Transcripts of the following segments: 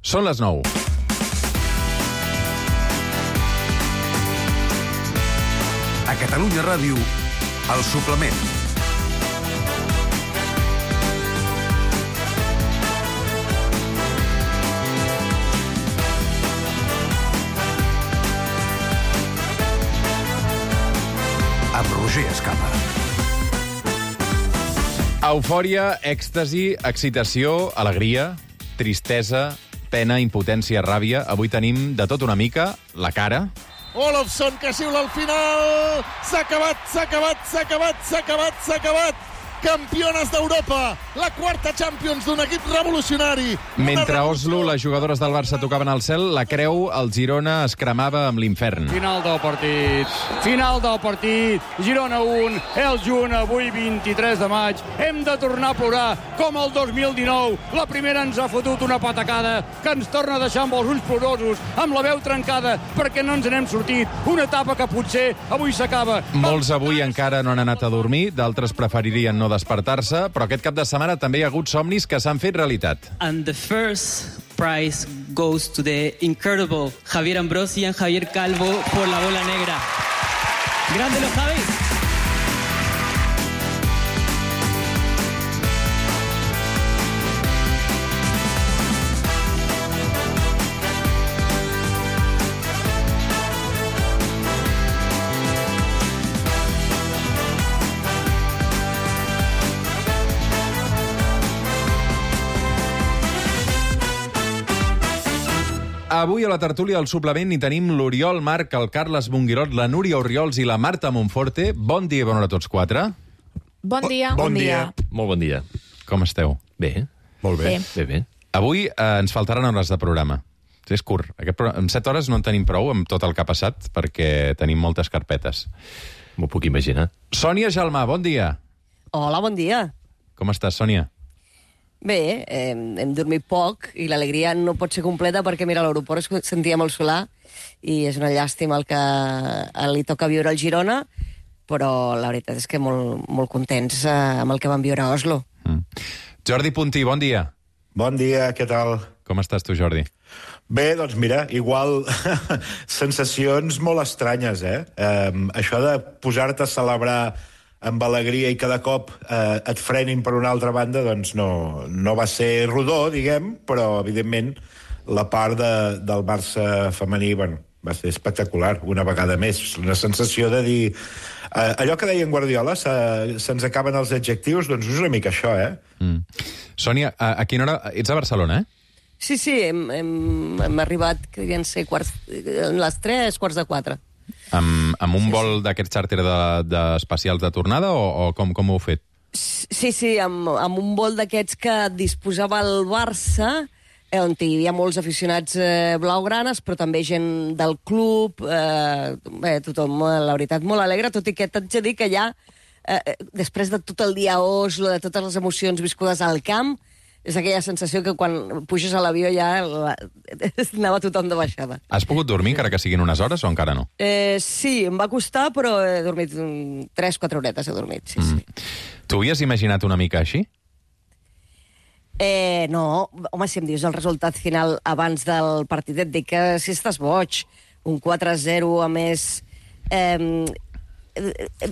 Són les 9. A Catalunya Ràdio, El Suplement. Amb Roger Escapa. Eufòria, èxtasi, excitació, alegria, tristesa, pena, impotència, ràbia. Avui tenim de tot una mica la cara. Olofsson, que xiula al final! S'ha acabat! Campiones d'Europa! La quarta Champions d'un equip revolucionari! Mentre a Oslo les jugadores del Barça tocaven al cel, la creu al Girona es cremava amb l'infern. Final del partit. Girona 1, el Girona avui 23 de maig. Hem de tornar a plorar com el 2019. La primera ens ha fotut una patacada que ens torna a deixar amb els ulls plorosos, amb la veu trencada, perquè no ens n'hem sortit. Una etapa que potser avui s'acaba. Molts avui encara no han anat a dormir, d'altres preferirien no despertar-se, però aquest cap de setmana també hi ha hagut somnis que s'han fet realitat. And the first prize goes to the incredible Javier Ambrosi and Javier Calvo por la bola negra. Grande los Javis. Avui a la tertúlia del Suplement hi tenim l'Oriol Marc, el Carles Monguirot, la Núria Orriols i la Marta Monforte. Bon dia i bona hora a tots quatre. Bon dia. Bon dia. Molt bon dia. Com esteu? Bé. Molt bé. Bé. Avui ens faltaran hores de programa. És curt. Amb 7 hores no en tenim prou amb tot el que ha passat perquè tenim moltes carpetes. M'ho puc imaginar. Sònia Gelmà, bon dia. Hola, bon dia. Com estàs, Sònia? Bé, hem dormit poc i l'alegria no pot ser completa perquè, mira, a l'aeroport es sentia molt solar i és una llàstima el que li toca viure al Girona, però la veritat és que molt contents amb el que vam viure a Oslo. Jordi Puntí, bon dia. Bon dia, què tal? Com estàs tu, Jordi? Bé, doncs mira, igual sensacions molt estranyes, això de posar-te a celebrar amb alegria i cada cop et frenin per una altra banda, doncs no va ser rodó, diguem, però evidentment la part del Barça femení, bueno, va ser espectacular, una vegada més. Una sensació de dir... allò que deia en Guardiola, se'ns acaben els adjectius, doncs és una mica això, Sònia, a quina hora... Ets a Barcelona, Sí, hem arribat, que devien ser les 3:15. Amb un vol d'aquest xàrter d'especials de tornada o com ho heu fet? Sí, amb un vol d'aquests que disposava el Barça, on hi havia molts aficionats blaugranes, però també gent del club, tothom, la veritat, molt alegre, tot i que t'haig de dir que ja, després de tot el dia a Oslo, de totes les emocions viscudes al camp, és aquella sensació que quan puges a l'avió ja anava tothom de baixada. Has pogut dormir, encara que siguin unes hores, o encara no? Sí, em va costar, però he dormit 3-4 horetes, he dormit, sí. Tu havies imaginat una mica així? No, home, si em dius el resultat final abans del partit, et dic que si estàs boig, un 4-0, a més...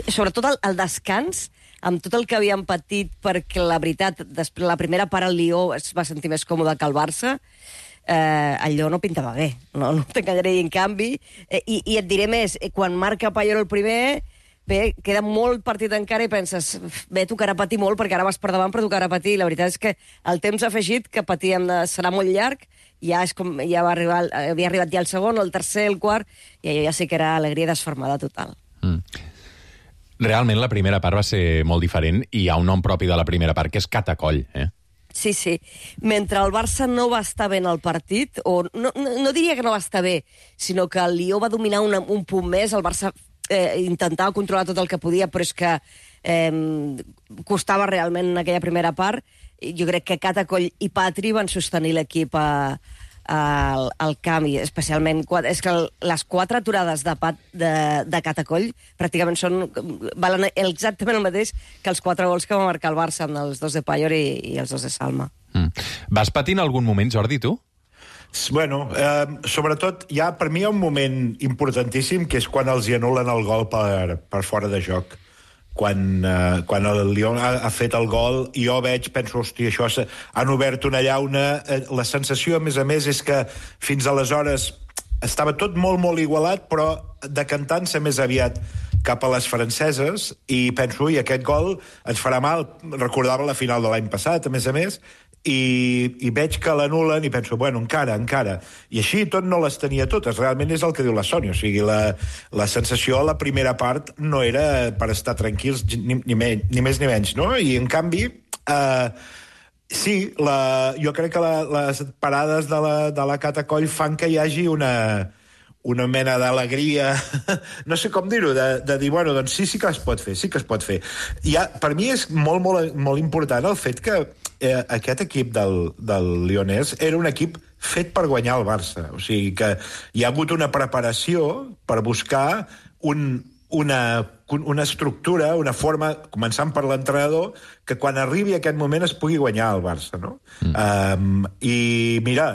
sobretot el descans, amb tot el que havíem patit, perquè la veritat, després la primera part al Lió es va sentir més còmode que el Barça, allò no pintava bé, no t'enganyaré, en canvi, i et diré més, quan marca Payol el primer, bé, queda molt partit encara i penses, bé, tocarà patir molt, perquè ara vas per davant, però tocarà patir, la veritat és que el temps ha afegit que patíem serà molt llarg, ja és com, ja havia arribat ja el segon, el tercer, el quart, i allò ja sí que era alegria desfermada total. Realment la primera part va ser molt diferent i hi ha un nom propi de la primera part, que és Catacoll, Sí. Mentre el Barça no va estar bé en el partit, o no diria que no va estar bé, sinó que el Lió va dominar un punt més, el Barça intentava controlar tot el que podia, però és que costava realment en aquella primera part. Jo crec que Catacoll i Patri van sostenir l'equip al camp, i especialment és que les 4 aturades de Catacoll pràcticament valen exactament el mateix que els 4 gols que va marcar el Barça amb els 2 de Payol i els 2 de Salma. Vas patir en algun moment, Jordi, tu? Bueno, sobretot, per mi hi ha un moment importantíssim, que és quan els hi anulen el gol per fora de joc. Quan el Lyon ha fet el gol, i jo penso, hòstia, això han obert una llauna. La sensació, a més, és que fins aleshores estava tot molt, molt igualat, però decantant-se més aviat cap a les franceses, i penso, i aquest gol ens farà mal. Recordava la final de l'any passat, a més, i veig que l'anulen i penso, bueno, encara. I així tot no les tenia totes. Realment és el que diu la Sònia. O sigui, la sensació a la primera part no era per estar tranquils, ni més ni menys, no? I, en canvi, sí, jo crec que les parades de la Catacoll fan que hi hagi una mena d'alegria, no sé com dir-ho, de dir, bueno, doncs sí que es pot fer. Per mi és molt, molt, molt important el fet que aquest equip del Lyonès era un equip fet per guanyar el Barça. O sigui que hi ha hagut una preparació per buscar una estructura, una forma, començant per l'entrenador, que quan arribi aquest moment es pugui guanyar el Barça, no? I mira,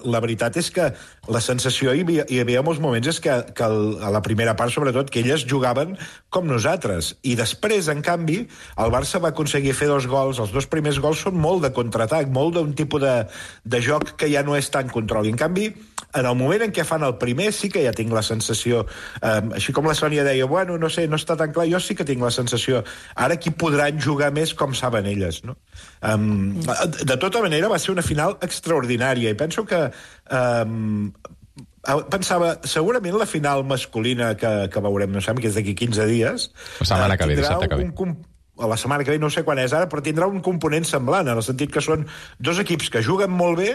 la veritat és que la sensació, hi havia molts moments, és que a la primera part, sobretot, que elles jugaven com nosaltres. I després, en canvi, el Barça va aconseguir fer 2 gols. Els 2 primers gols són molt de contraatac, molt d'un tipus de joc que ja no és tan control. I, en canvi, en el moment en què fan el primer, sí que ja tinc la sensació, així com la Sònia deia, bueno, no sé, no està tan clar, jo sí que tinc la sensació, ara aquí podran jugar més com saben elles, no? De tota manera, va ser una final extraordinària, i penso que pensava, segurament la final masculina que veurem, no sé, que és d'aquí 15 dies, la setmana que ve, dissabte que ve. La setmana que ve, no sé quan és ara, però tindrà un component semblant, en el sentit que són 2 equips que juguen molt bé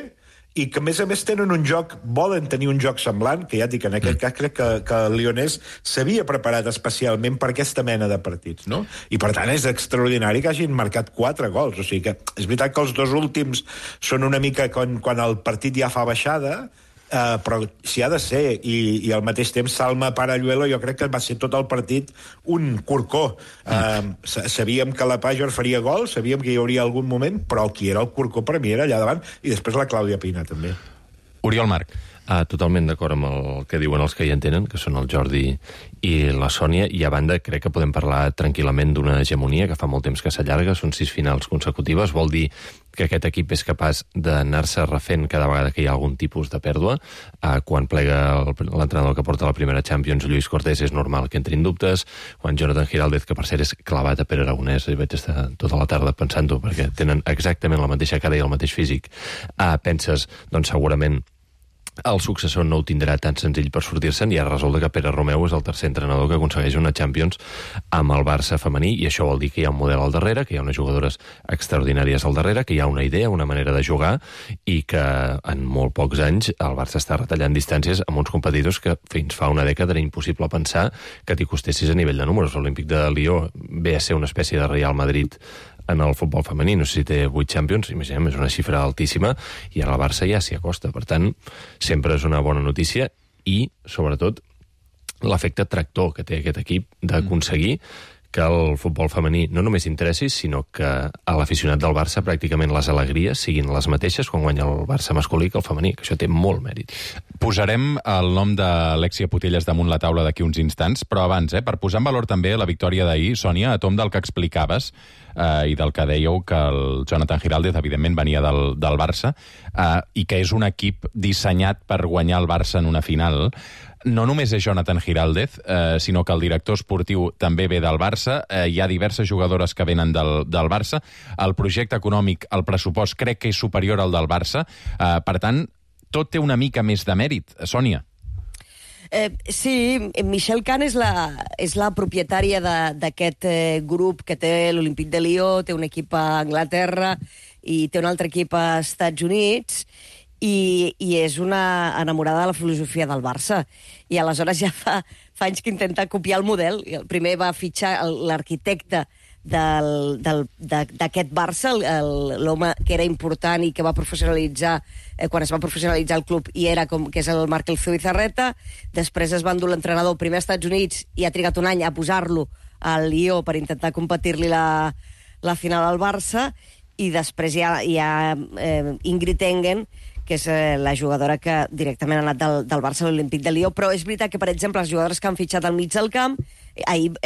i que, a més, tenen un joc, volen tenir un joc semblant, que ja dic, en aquest cas crec que el Lyonès s'havia preparat especialment per aquesta mena de partits, no? I, per tant, és extraordinari que hagin marcat 4 gols. O sigui que és veritat que els 2 últims són una mica quan el partit ja fa baixada, però si ha de ser, i al mateix temps Salma Paralluelo, jo crec que va ser tot el partit un corcó. Sabíem que la Pajor faria gol, sabíem que hi hauria algun moment, però el qui era el corcó per mi era allà davant, i després la Clàudia Pina també. Oriol Marc. Totalment d'acord amb el que diuen els que hi entenen, que són el Jordi i la Sònia, i a banda crec que podem parlar tranquil·lament d'una hegemonia que fa molt temps que s'allarga, són 6 finals consecutives, vol dir que aquest equip és capaç d'anar-se refent cada vegada que hi ha algun tipus de pèrdua. Quan plega l'entrenador que porta la primera Champions, Lluís Cortés, és normal que entrin dubtes. Quan Jonathan Giraldez, que per cert és clavat a Pere Aragonès, i vaig estar tota la tarda pensant-ho, perquè tenen exactament la mateixa cara i el mateix físic, penses, doncs segurament el successor no ho tindrà tan senzill per sortir-se'n, i ara resulta que Pere Romeu és el tercer entrenador que aconsegueix una Champions amb el Barça femení, i això vol dir que hi ha un model al darrere, que hi ha unes jugadores extraordinàries al darrere, que hi ha una idea, una manera de jugar, i que en molt pocs anys el Barça està retallant distàncies amb uns competidors que fins fa una dècada era impossible pensar que t'hi costessis a nivell de números. L'Olímpic de Lió ve a ser una espècie de Real Madrid en el futbol femení, no sé si té 8 Champions, imaginem, és una xifra altíssima, i ara el Barça ja s'hi acosta. Per tant, sempre és una bona notícia, i, sobretot, l'efecte tractor que té aquest equip d'aconseguir que el futbol femení no només interessi, sinó que a l'aficionat del Barça pràcticament les alegries siguin les mateixes quan guanya el Barça masculí que el femení, que això té molt mèrit. Posarem el nom d'Alexia Putellas damunt la taula d'aquí uns instants, però abans, per posar en valor també la victòria d'ahir, Sònia, a tom del que explicaves i del que dèieu, que el Jonathan Giraldez, evidentment, venia del Barça, i que és un equip dissenyat per guanyar el Barça en una final. No només és Jonathan Giraldez, sinó que el director esportiu també ve del Barça, hi ha diverses jugadores que venen del Barça, el projecte econòmic, el pressupost, crec que és superior al del Barça, per tant, tot té una mica més de mèrit. Sònia. Sí, Michelle Kahn és la propietària d'aquest grup que té l'Olímpic de Lió, té un equip a Anglaterra i té un altre equip als Estats Units, i és una enamorada de la filosofia del Barça. I aleshores ja fa anys que intenta copiar el model. Primer va fitxar l'arquitecte d'aquest Barça, l'home que era important i que va professionalitzar quan es va professionalitzar el club, i era que és el Marc El Zubizarreta. Després es va endur l'entrenador primer als Estats Units i ha trigat un any a posar-lo al Lió per intentar competir-li la final al Barça, i després hi ha Ingrid Engen, que és la jugadora que directament ha anat del Barça a l'Olímpic de Lió, però és veritat que, per exemple, les jugadores que han fitxat al mig del camp, ahir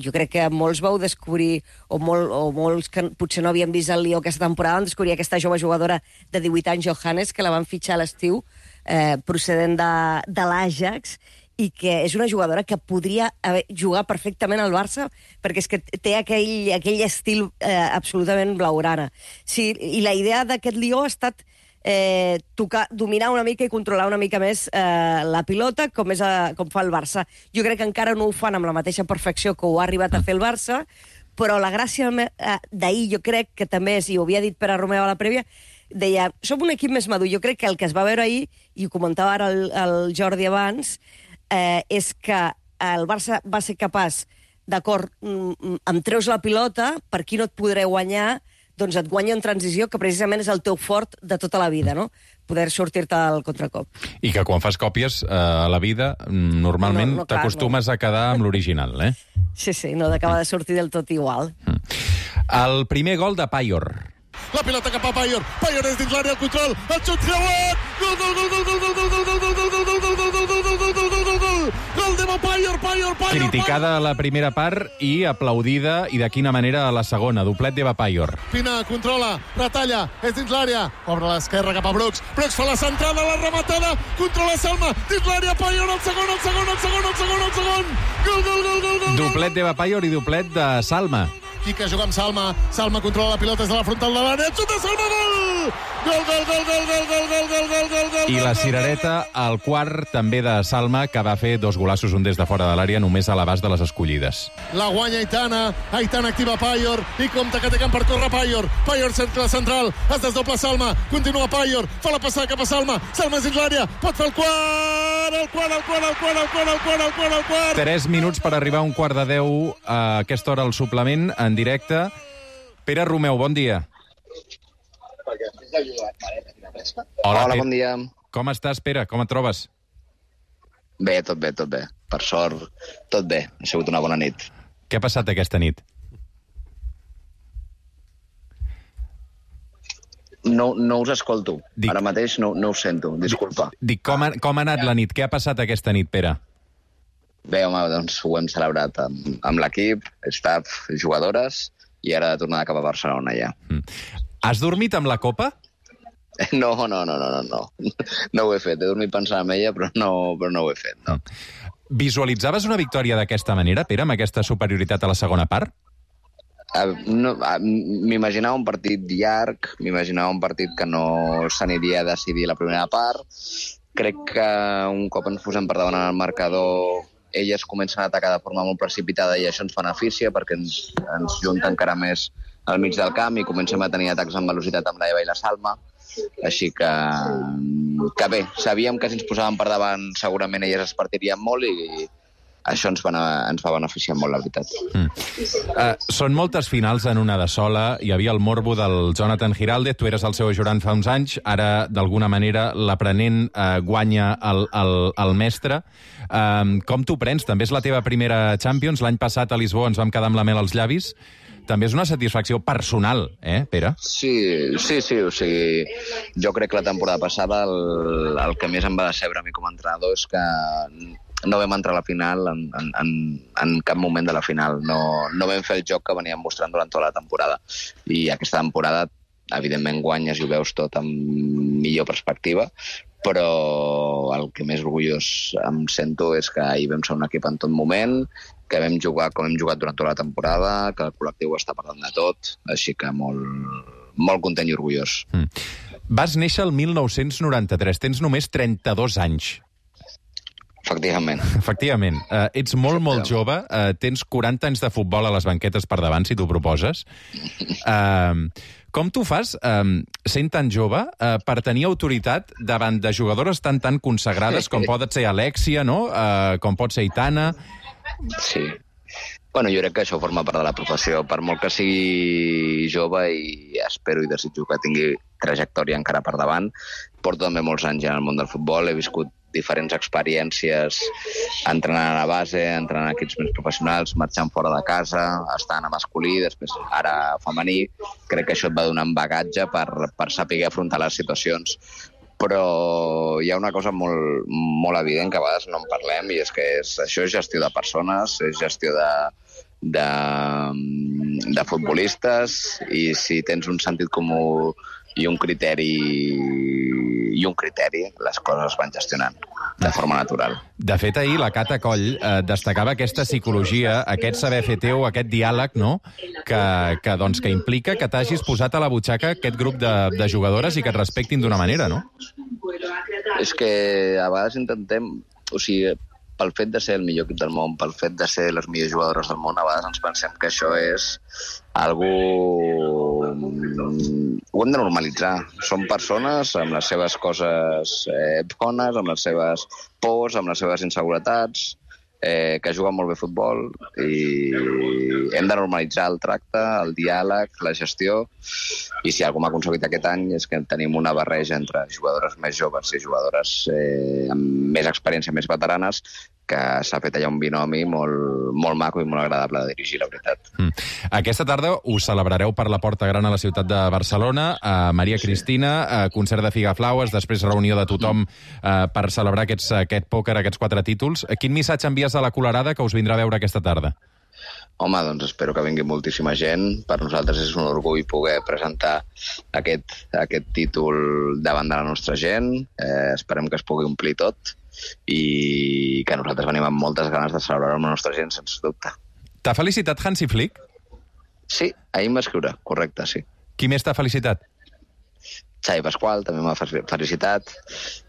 jo crec que molts vau descobrir, o molts que potser no havien vist el Lió aquesta temporada, van descobrir aquesta jove jugadora de 18 anys, Johannes, que la van fitxar a l'estiu, procedent de l'Ajax, i que és una jugadora que podria jugar perfectament al Barça, perquè és que té aquell estil absolutament blaugrana. Sí, i la idea d'aquest Lió ha estat dominar una mica i controlar una mica més la pilota, com fa el Barça. Jo crec que encara no ho fan amb la mateixa perfecció que ho ha arribat a fer el Barça, però la gràcia d'ahir jo crec que també és, i ho havia dit Pere Romeu a la prèvia, deia, som un equip més madur. Jo crec que el que es va veure ahir, i ho comentava ara el Jordi abans, és que el Barça va ser capaç, d'acord, em treus la pilota, per aquí no et podré guanyar, doncs et guanya en transició, que precisament és el teu fort de tota la vida, no? Poder sortir-te al contracop. I que quan fas còpies a la vida, normalment t'acostumes a quedar amb l'original, eh? Sí, no acaba de sortir del tot igual. El primer gol de Payor. La pilota cap a Payor. Payor és dins l'àrea, el control, el xut creuat! Gol de Payor! Criticada a la primera part i aplaudida, i de quina manera a la segona. Doblet de Payor. Pina controla, retalla, és dins l'àrea, obre a l'esquerra cap a Brooks. Brooks fa la centrada, la rematada, controla Salma, dins l'àrea, Payor, el segon. Gol! Doblet de Payor i doblet de Salma. Quique juga amb Salma. Salma controla la pilota des de la frontal de l'àrea. Xuta Salma, gol! Gol! I la cirereta, al quart, també de Salma, que va fer 2 golassos, un des de fora de l'àrea, només a l'abast de les escollides. La guanya Aitana. Aitana activa Payor. I compta que té camp per córrer Payor. Payor cercle central. Es desdobla Salma. Continua Payor. Fa la passada cap a Salma. Salma és dins l'àrea. Pot fer el quart. El quart. 3 minuts per arribar a un quart de 10 a aquesta hora al suplement, en directe. Pere Romeu, bon dia. Hola, bon dia. Com estàs, Pere? Com et trobes? Bé, tot bé. Per sort, tot bé. Ha sigut una bona nit. Què ha passat aquesta nit? No us escolto. Ara mateix no us sento, disculpa. Dic, com ha anat la nit? Què ha passat aquesta nit, Pere? Bé, home, doncs ho hem celebrat amb l'equip, staff, jugadores, i ara de tornar cap a Barcelona ja. Has dormit amb la copa? No ho he fet. He dormit pensant en ella, però no ho he fet, no. Visualitzaves una victòria d'aquesta manera, Pere, amb aquesta superioritat a la segona part? M'imaginava un partit llarg, m'imaginava un partit que no s'aniria a decidir la primera part. Crec que un cop ens posem per davant el marcador, elles comencen a atacar de forma molt precipitada i això ens beneficia perquè ens junta encara més al mig del camp i comencem a tenir atacs amb velocitat amb l'Eva i la Salma. Així que bé, sabíem que si ens posàvem per davant segurament elles es partirien molt i això ens va beneficiar molt, la veritat. Són moltes finals en una de sola. Hi havia el morbo del Jonathan Giraldez, tu eres el seu ajudant fa uns anys, ara d'alguna manera l'aprenent guanya el mestre. Com t'ho prens? També és la teva primera Champions. L'any passat a Lisboa ens vam quedar amb la mel als llavis. També és una satisfacció personal, Pere? Sí. O sigui, jo crec que la temporada passada el que més em va decebre a mi com a entrenador és que no vam entrar a la final en cap moment de la final. No vam fer el joc que veníem mostrant durant tota la temporada. I aquesta temporada, evidentment, guanyes i ho veus tot amb millor perspectiva, però el que més orgullós em sento és que ahir vam ser un equip en tot moment, que vam jugar com hem jugat durant tota la temporada, que el col·lectiu està parlant de tot, així que molt content i orgullós. Vas néixer el 1993, tens només 32 anys. Efectivament. Ets molt jove, tens 40 anys de futbol a les banquetes per davant, si t'ho proposes. Com t'ho fas, sent tan jove, per tenir autoritat davant de jugadores tan consagrades com pot ser Alexia, no? Com pot ser Aitana? Sí. Bueno, jo crec que això forma part de la professió. Per molt que sigui jove i espero i desitjo que tingui trajectòria encara per davant, porto també molts anys en el món del futbol, he viscut diferents experiències, entrenant a base, entrenant a equips més professionals, marxant fora de casa, estant a masculí, després ara femení. Crec que això et va donar un bagatge per saber afrontar les situacions. Però hi ha una cosa molt, molt evident que a vegades no en parlem, i és que això és gestió de persones, és gestió de futbolistes, i si tens un sentit comú i un criteri, les coses es van gestionant de forma natural. De fet, ahir la Cata Coll destacava aquesta psicologia, aquest saber fer teu, aquest diàleg, no? que implica que t'hagis posat a la butxaca aquest grup de jugadores i que et respectin d'una manera, no? És que a vegades intentem... O sigui, pel fet de ser el millor equip del món, pel fet de ser les millors jugadores del món, a vegades ens pensem que això és algú... Ho hem de normalitzar. Són persones amb les seves coses bones, amb les seves pors, amb les seves inseguretats, que juguen molt bé a futbol, i hem de normalitzar el tracte, el diàleg, la gestió, i si algú m'ha aconseguit aquest any és que tenim una barreja entre jugadores més joves i jugadores amb més experiència, més veteranes, que s'ha fet allà un binomi molt maco i molt agradable de dirigir, la veritat. Aquesta tarda us celebrareu per la Porta Gran a la ciutat de Barcelona, a Maria Cristina, concert de Figaflaues, després reunió de tothom per celebrar aquest pòquer, aquests 4 títols. Quin missatge envies a la Colerada que us vindrà a veure aquesta tarda? Home, doncs espero que vingui moltíssima gent. Per nosaltres és un orgull poder presentar aquest títol davant de la nostra gent. Esperem que es pugui omplir tot i que nosaltres venim amb moltes ganes de celebrar amb la nostra gent, sense dubte. T'ha felicitat Hansi Flick? Sí, ahir em va escriure, correcte, sí. Qui més t'ha felicitat? Xavi Pasqual també m'ha felicitat,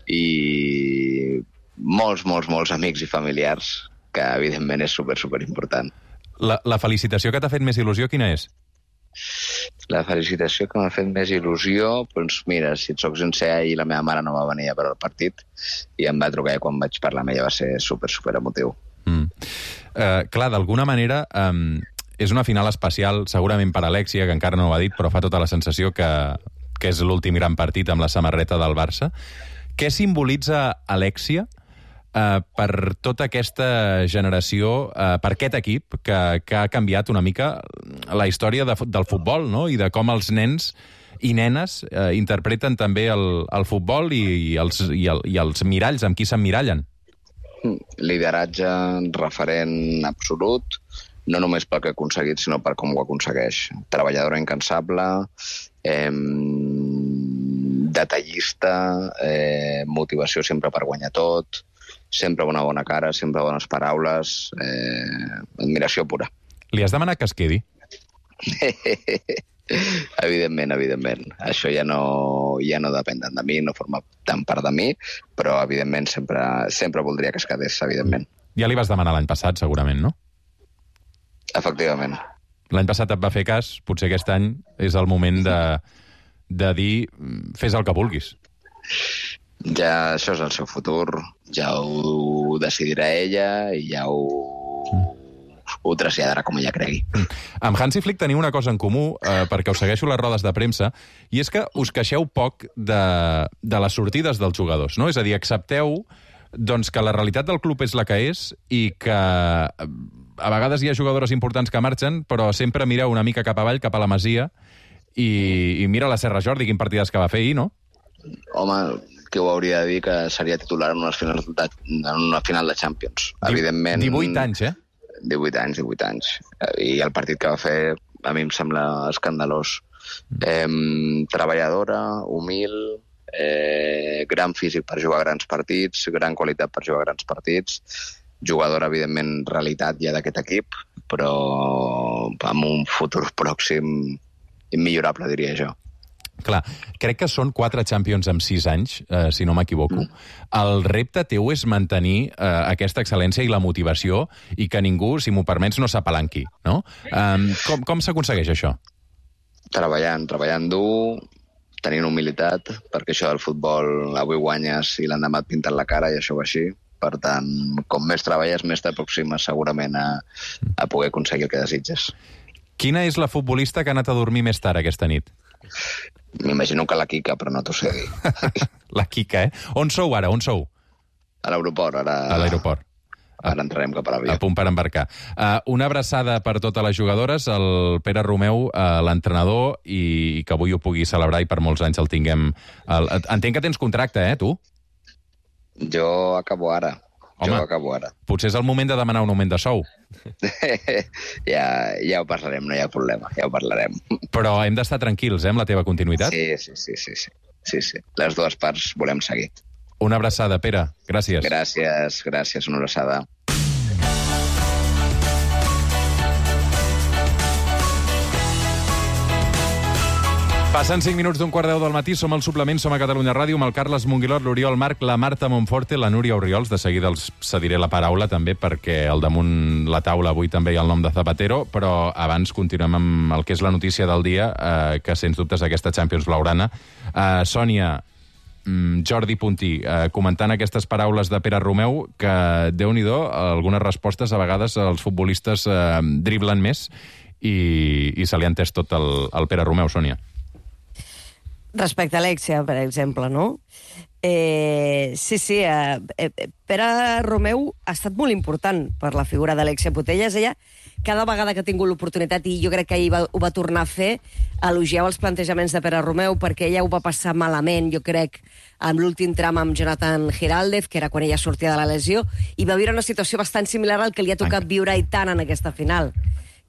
i molts amics i familiars, que evidentment és super important. La felicitació que t'ha fet més il·lusió, quina és? La felicitació que m'ha fet més il·lusió, doncs mira, si et soc sincer, ahir la meva mare no va venir a veure el partit i em va trucar, i quan vaig parlar amb ella va ser super emotiu. Clar, d'alguna manera és una final especial, segurament per Alexia, que encara no ho ha dit, però fa tota la sensació que és l'últim gran partit amb la samarreta del Barça. Què simbolitza Alexia per tota aquesta generació, per aquest equip que ha canviat una mica la història del futbol, no? I de com els nens i nenes interpreten també el futbol i els miralls, amb qui s'emmirallen. Lideratge, referent absolut, no només pel que ha aconseguit, sinó per com ho aconsegueix. Treballadora incansable, detallista, motivació sempre per guanyar tot, sempre una bona cara, sempre bones paraules, admiració pura. Li has demanat que es quedi? Evidentment. Això ja no depèn tant de mi, no forma tant part de mi, però evidentment sempre voldria que es quedés, evidentment. Ja li vas demanar l'any passat, segurament, no? Efectivament. L'any passat et va fer cas, potser aquest any és el moment de dir fes el que vulguis. Ja això és el seu futur, ja ho decidirà ella i ja ho traslladarà com ella cregui. Amb Hansi Flick teniu una cosa en comú, perquè us segueixo les rodes de premsa, i és que us queixeu poc de les sortides dels jugadors, no? És a dir, accepteu doncs, que la realitat del club és la que és i que a vegades hi ha jugadores importants que marxen, però sempre mireu una mica cap avall, cap a la Masia, i mira la Serra Jordi, quin partidàs que va fer ahir, no? Home, que ho hauria de dir que seria titular en una final de Champions. Evidentment... 18 anys, 18 anys. I el partit que va fer a mi em sembla escandalós. Treballadora, humil, gran físic per jugar grans partits, gran qualitat per jugar grans partits, jugadora, evidentment, realitat ja d'aquest equip, però amb un futur pròxim immillorable, diria jo. Clar, crec que són 4 Champions en 6 anys, si no m'equivoco. El repte teu és mantenir aquesta excel·lència i la motivació i que ningú, si m'ho permets, no s'apalanqui, no? Com s'aconsegueix això? Treballant dur, tenint humilitat, perquè això del futbol avui guanyes i l'endemà et pinten la cara i això va així. Per tant, com més treballes, més t'aproximes segurament a poder aconseguir el que desitges. Quina és la futbolista que ha anat a dormir més tard aquesta nit? M'imagino que la Quica, però no t'ho sé dir. La Quica, On sou ara? On sou? A l'aeroport, ara... A l'aeroport. Ara entrarem cap a l'avió. A punt per embarcar. Una abraçada per totes les jugadores, el Pere Romeu, l'entrenador, i que avui ho pugui celebrar i per molts anys el tinguem... Entenc que tens contracte, tu? Jo acabo ara. Home, potser és el moment de demanar un augment de sou. Ja ho parlarem, no hi ha problema, ja ho parlarem. Però hem d'estar tranquils, amb la teva continuïtat? Sí. Les dues parts volem seguir. Una abraçada, Pere. Gràcies. Gràcies, una abraçada. Passen 5 minuts d'un quart d'eu del matí, som al Suplement, som a Catalunya Ràdio, amb el Carles Monguilot, l'Oriol Marc, la Marta Monforte, la Núria Oriols. De seguida els cediré la paraula, també, perquè al damunt la taula avui també hi ha el nom de Zapatero, però abans continuem amb el que és la notícia del dia, que sens dubtes aquesta Champions blaugrana. Sònia, Jordi Puntí, comentant aquestes paraules de Pere Romeu, que, Déu-n'hi-do, algunes respostes, a vegades els futbolistes driblen més i se li ha entès tot al Pere Romeu, Sònia. Respecte a Alexia, per exemple, no? Sí, Pere Romeu ha estat molt important per la figura d'Alexia Putellas. Ella, cada vegada que ha tingut l'oportunitat, i jo crec que ahir ho va tornar a fer, elogiava els plantejaments de Pere Romeu, perquè ella ho va passar malament, jo crec, amb l'últim tram amb Jonathan Giraldez, que era quan ella sortia de la lesió, i va viure una situació bastant similar al que li ha tocat viure a Aitana en aquesta final,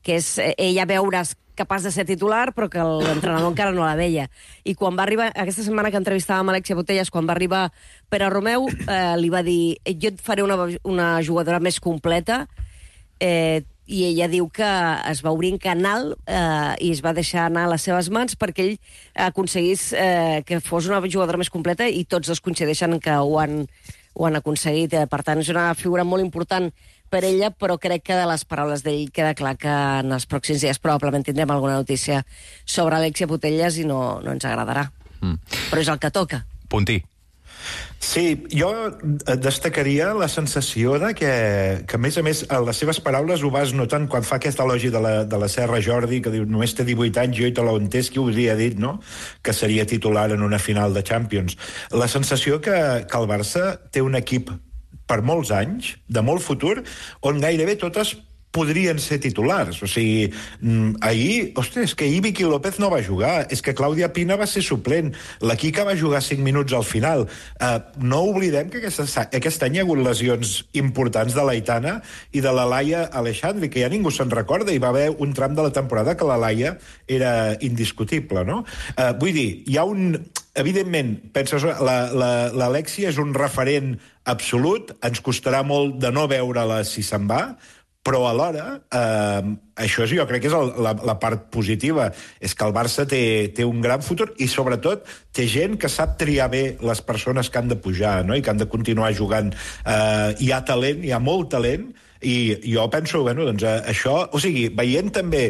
que és ella veure's capaç de ser titular, però que l'entrenador encara no la veia. I quan va arribar, aquesta setmana que entrevistàvem Alexia Putellas, quan va arribar Pere Romeu, li va dir, jo et faré una jugadora més completa, i ella diu que es va obrir en canal i es va deixar anar a les seves mans perquè ell aconseguís que fos una jugadora més completa, i tots dos coincideixen que ho han aconseguit. Per tant, és una figura molt important per ella, però crec que de les paraules d'ell queda clar que en els pròxims dies probablement tindrem alguna notícia sobre Alexia Putellas i no ens agradarà. Però és el que toca. Puntí. Sí, jo destacaria la sensació de que a més, a les seves paraules ho vas notant quan fa aquest elogi de la Serra Jordi, que diu, només té 18 anys, jo i te l'ho entès, qui ho hauria dit, no?, que seria titular en una final de Champions. La sensació que el Barça té un equip per molts anys, de molt futur, on gairebé totes podrien ser titulars. O sigui, ahir, ostres, és que ahir Vicky López no va jugar, és que Clàudia Pina va ser suplent, la Quica va jugar 5 minuts al final. No oblidem que aquest any hi ha hagut lesions importants de l'Aitana i de la Laia Alexandri, que ja ningú se'n recorda, i va haver un tram de la temporada que la Laia era indiscutible, no? Vull dir, hi ha un... Evidentment, penses, l'Alexia és un referent absolut, ens costarà molt de no veure-la si se'n va, però alhora, això jo crec que és la part positiva, és que el Barça té un gran futur i sobretot té gent que sap triar bé les persones que han de pujar, no?, i que han de continuar jugant. Hi ha talent, hi ha molt talent, i jo penso, bueno, doncs això... O sigui, veient també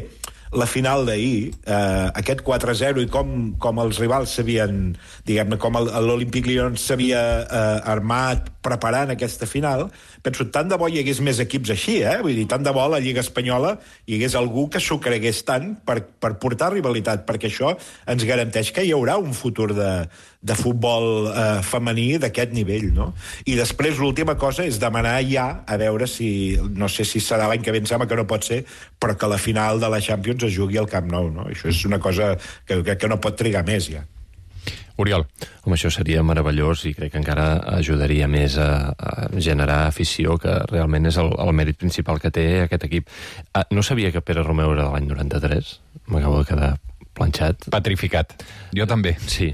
la final d'ahir, aquest 4-0 i com els rivals s'havien, diguem-ne, com l'Olympique Lyon s'havia armat preparant aquesta final, penso, tant de bo hi hagués més equips així, vull dir, tant de bo a la Lliga Espanyola hi hagués algú que s'ho cregués tant per portar rivalitat, perquè això ens garanteix que hi haurà un futur de futbol femení d'aquest nivell, no? I després l'última cosa és demanar ja, a veure si, no sé si serà l'any que ve, em sembla que no pot ser, però que la final de la Champions es jugui al Camp Nou, no? Això és una cosa que no pot trigar més, ja. Oriol. Home, això seria meravellós i crec que encara ajudaria més a generar afició, que realment és el mèrit principal que té aquest equip. No sabia que Pere Romeu era de l'any 93. M'acabo de quedar planxat. Petrificat. Jo també. Sí,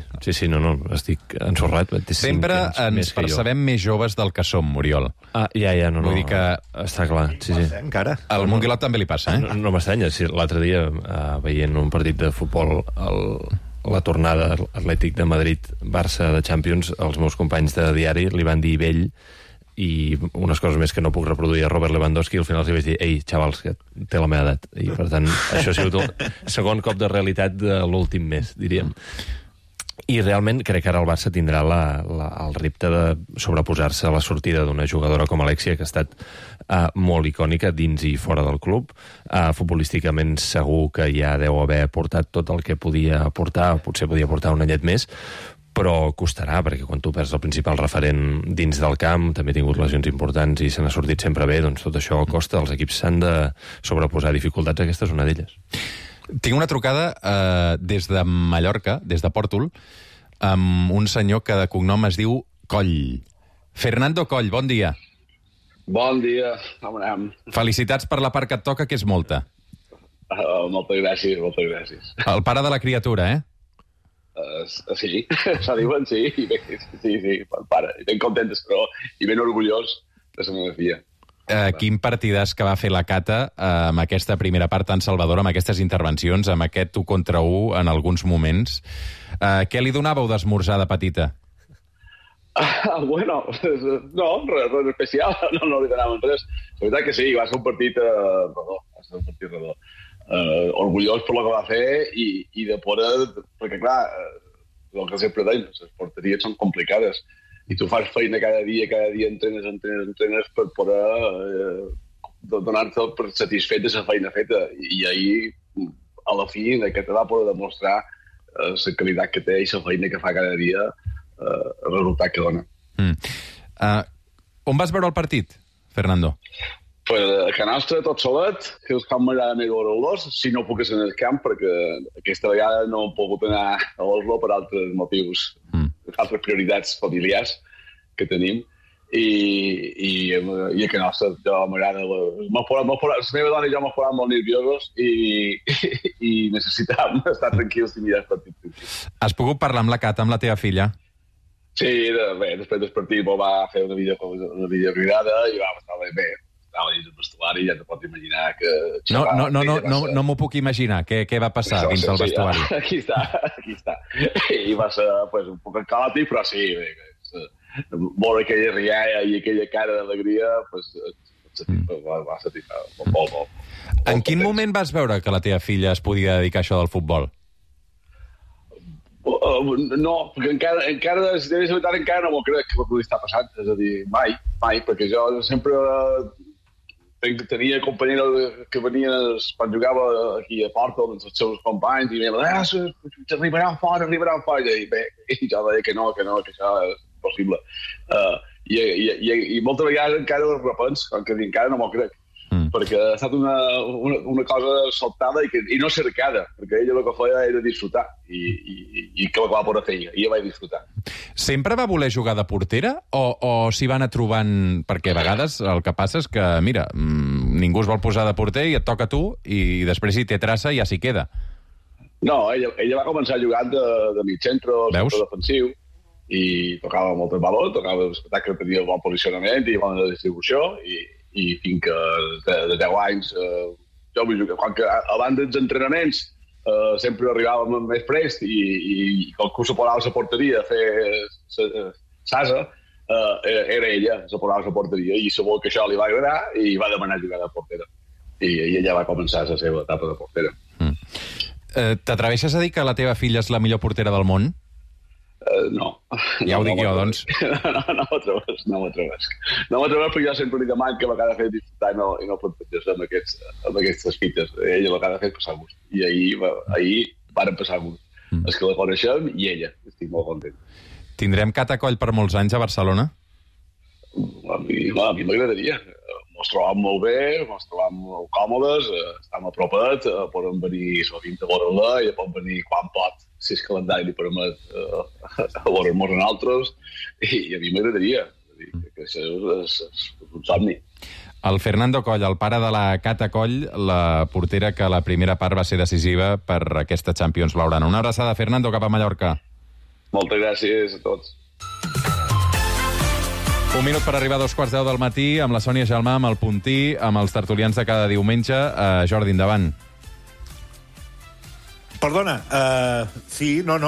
no, estic ensorrat. Sempre ens percebem més joves del que som, Oriol. No. Vull dir que... Està clar, sí. Encara. Al Monguilot també li passa, No m'estranya. L'altre dia, veient un partit de futbol la tornada Atlètic de Madrid-Barça de Champions, els meus companys de diari li van dir vell i unes coses més que no puc reproduir a Robert Lewandowski, i al final els vaig dir, ei, xavals, que té la meva edat. I, per tant, això ha sigut el segon cop de realitat de l'últim mes, diríem. I realment crec que ara el Barça tindrà el repte de sobreposar-se a la sortida d'una jugadora com Alexia, que ha estat molt icònica dins i fora del club. Futbolísticament segur que ja deu haver portat tot el que podia aportar, potser podia portar un anyet més, però costarà, perquè quan tu perds el principal referent dins del camp, també ha tingut lesions importants i se n'ha sortit sempre bé, doncs tot això costa. Els equips s'han de sobreposar dificultats, aquesta és una d'elles. Tinc una trucada des de Mallorca, des de Pòrtol, amb un senyor que de cognom es diu Coll. Fernando Coll, bon dia. Bon dia, com anem? Felicitats per la part que et toca, que és molta. Moltes gràcies, moltes gràcies. El pare de la criatura, Sí, se diuen, sí, sí, el pare. I ben contentes, però, i ben orgullós de la meva filla. Quin partidàs que va fer la Cata amb aquesta primera part tan salvadora, amb aquestes intervencions, amb aquest 1 contra 1 en alguns moments. Què li donàveu d'esmorzar de petita? Bueno, no, res especial, no li donàvem res. La veritat que sí, va ser un partit redó. Orgullós per el que va fer i de poder... Perquè, clar, el que sempre deim, les porteries són complicades i tu fas feina cada dia entrenes per poder donar-te per satisfet de la feina feta. I ahir, a la fi, aquest va poder demostrar la qualitat que té i la feina que fa cada dia, el resultat que dona. On vas veure el partit, Fernando? Pues a Can Nostra, tot solet, que és com m'agrada més veure-los, si no puc ser en el camp, perquè aquesta vegada no he pogut anar a Oslo per altres motius, altres prioritats familiars que tenim. I a Can Nostra jo m'agrada... La meva dona i jo m'ho posat molt nerviosos i necessitàvem estar tranquils i mirar el partit. Has pogut parlar amb la Cata, amb la teva filla? Sí, bé, després del partit va fer una videocridada i va estar bé. Estava dins del vestuari i ja te pots imaginar que... No m'ho puc imaginar. Què va passar dins del vestuari? Aquí està. I va ser un poc caòtic, però sí, veure aquella rialla i aquella cara d'alegria, va satisfar molt. En quin moment vas veure que la teva filla es podia dedicar a això del futbol? No, perquè encara no m'ho crec que pugui estar passant. És a dir, mai, perquè jo sempre tenia companyeros que venien quan jugava aquí a Porto amb els seus companys i em deien, arribaran fora, i bé, jo deia que no, que això és possible. I moltes vegades encara ho repens, que encara no m'ho crec. Perquè ha estat una cosa sobtada i no cercada, perquè ella el que feia era disfrutar i que la va poder fer i ella va disfrutar. Sempre va voler jugar de portera o s'hi va anar trobant... Perquè a vegades el que passa és que, mira, ningú es vol posar de porter i et toca a tu i després si té traça ja s'hi queda. No, ella va començar jugant de mig centre, centre defensiu, i tocava molt el valor, tocava l'espectacle que tenia bon posicionament i bona distribució i fins que de 10 anys jo vull jugar. Quan que abans dels entrenaments sempre arribàvem més prest i qualcú se posava a la porteria a fer sasa, era ella, se posava a la porteria i sabia que això li va agradar i va demanar jugar de portera. I ella va començar la seva etapa de portera. T'atreveixes a dir que la teva filla és la millor portera del món? No. Ja ho dic jo, doncs. No m'ho atreveix. Perquè jo sempre li demano que a vegades fer disfrutar i no plantejar-se amb aquestes fites. Ella a vegades fer passar gust. I ahir varen passar gust. És que la coneixem i ella. Estic molt content. Tindrem Cata Coll per molts anys a Barcelona? A mi m'agradaria. Ens trobam molt bé, ens trobam molt còmodes, estem a propet, podem venir sovint a veure-la i pot venir quan pot, si el calendari li permet a veure-nos en altres, i a mi m'agradaria, que això és un somni. El Fernando Coll, el pare de la Cata Coll, la portera que la primera part va ser decisiva per aquesta Champions blaugrana. Una abraçada, Fernando, cap a Mallorca. Moltes gràcies a tots. Un minut per arribar a 2:15 del matí amb la Sònia Gelmà, amb el Puntí, amb els tertulians de cada diumenge. Jordi, endavant. Perdona, sí, no,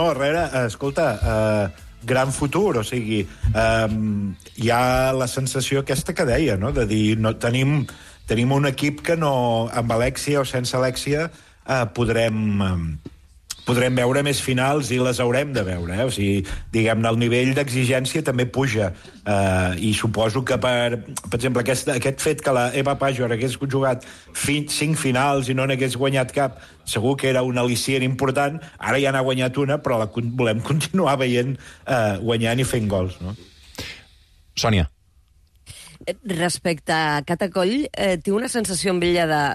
escolta, gran futur, o sigui, hi ha la sensació aquesta que deia, no?, de dir, no, tenim un equip que no, amb Alexia o sense Alexia, podrem podrem veure més finals i les haurem de veure. O sigui, diguem-ne, el nivell d'exigència també puja. I suposo que, per exemple, aquest fet que la Eva Pajor hagués jugat 5 finals i no n'hagués guanyat cap, segur que era un al·licient important. Ara ja n'ha guanyat una, però volem continuar veient guanyant i fent gols, no? Sònia. Respecte a Cata Coll, tinc una sensació amb ella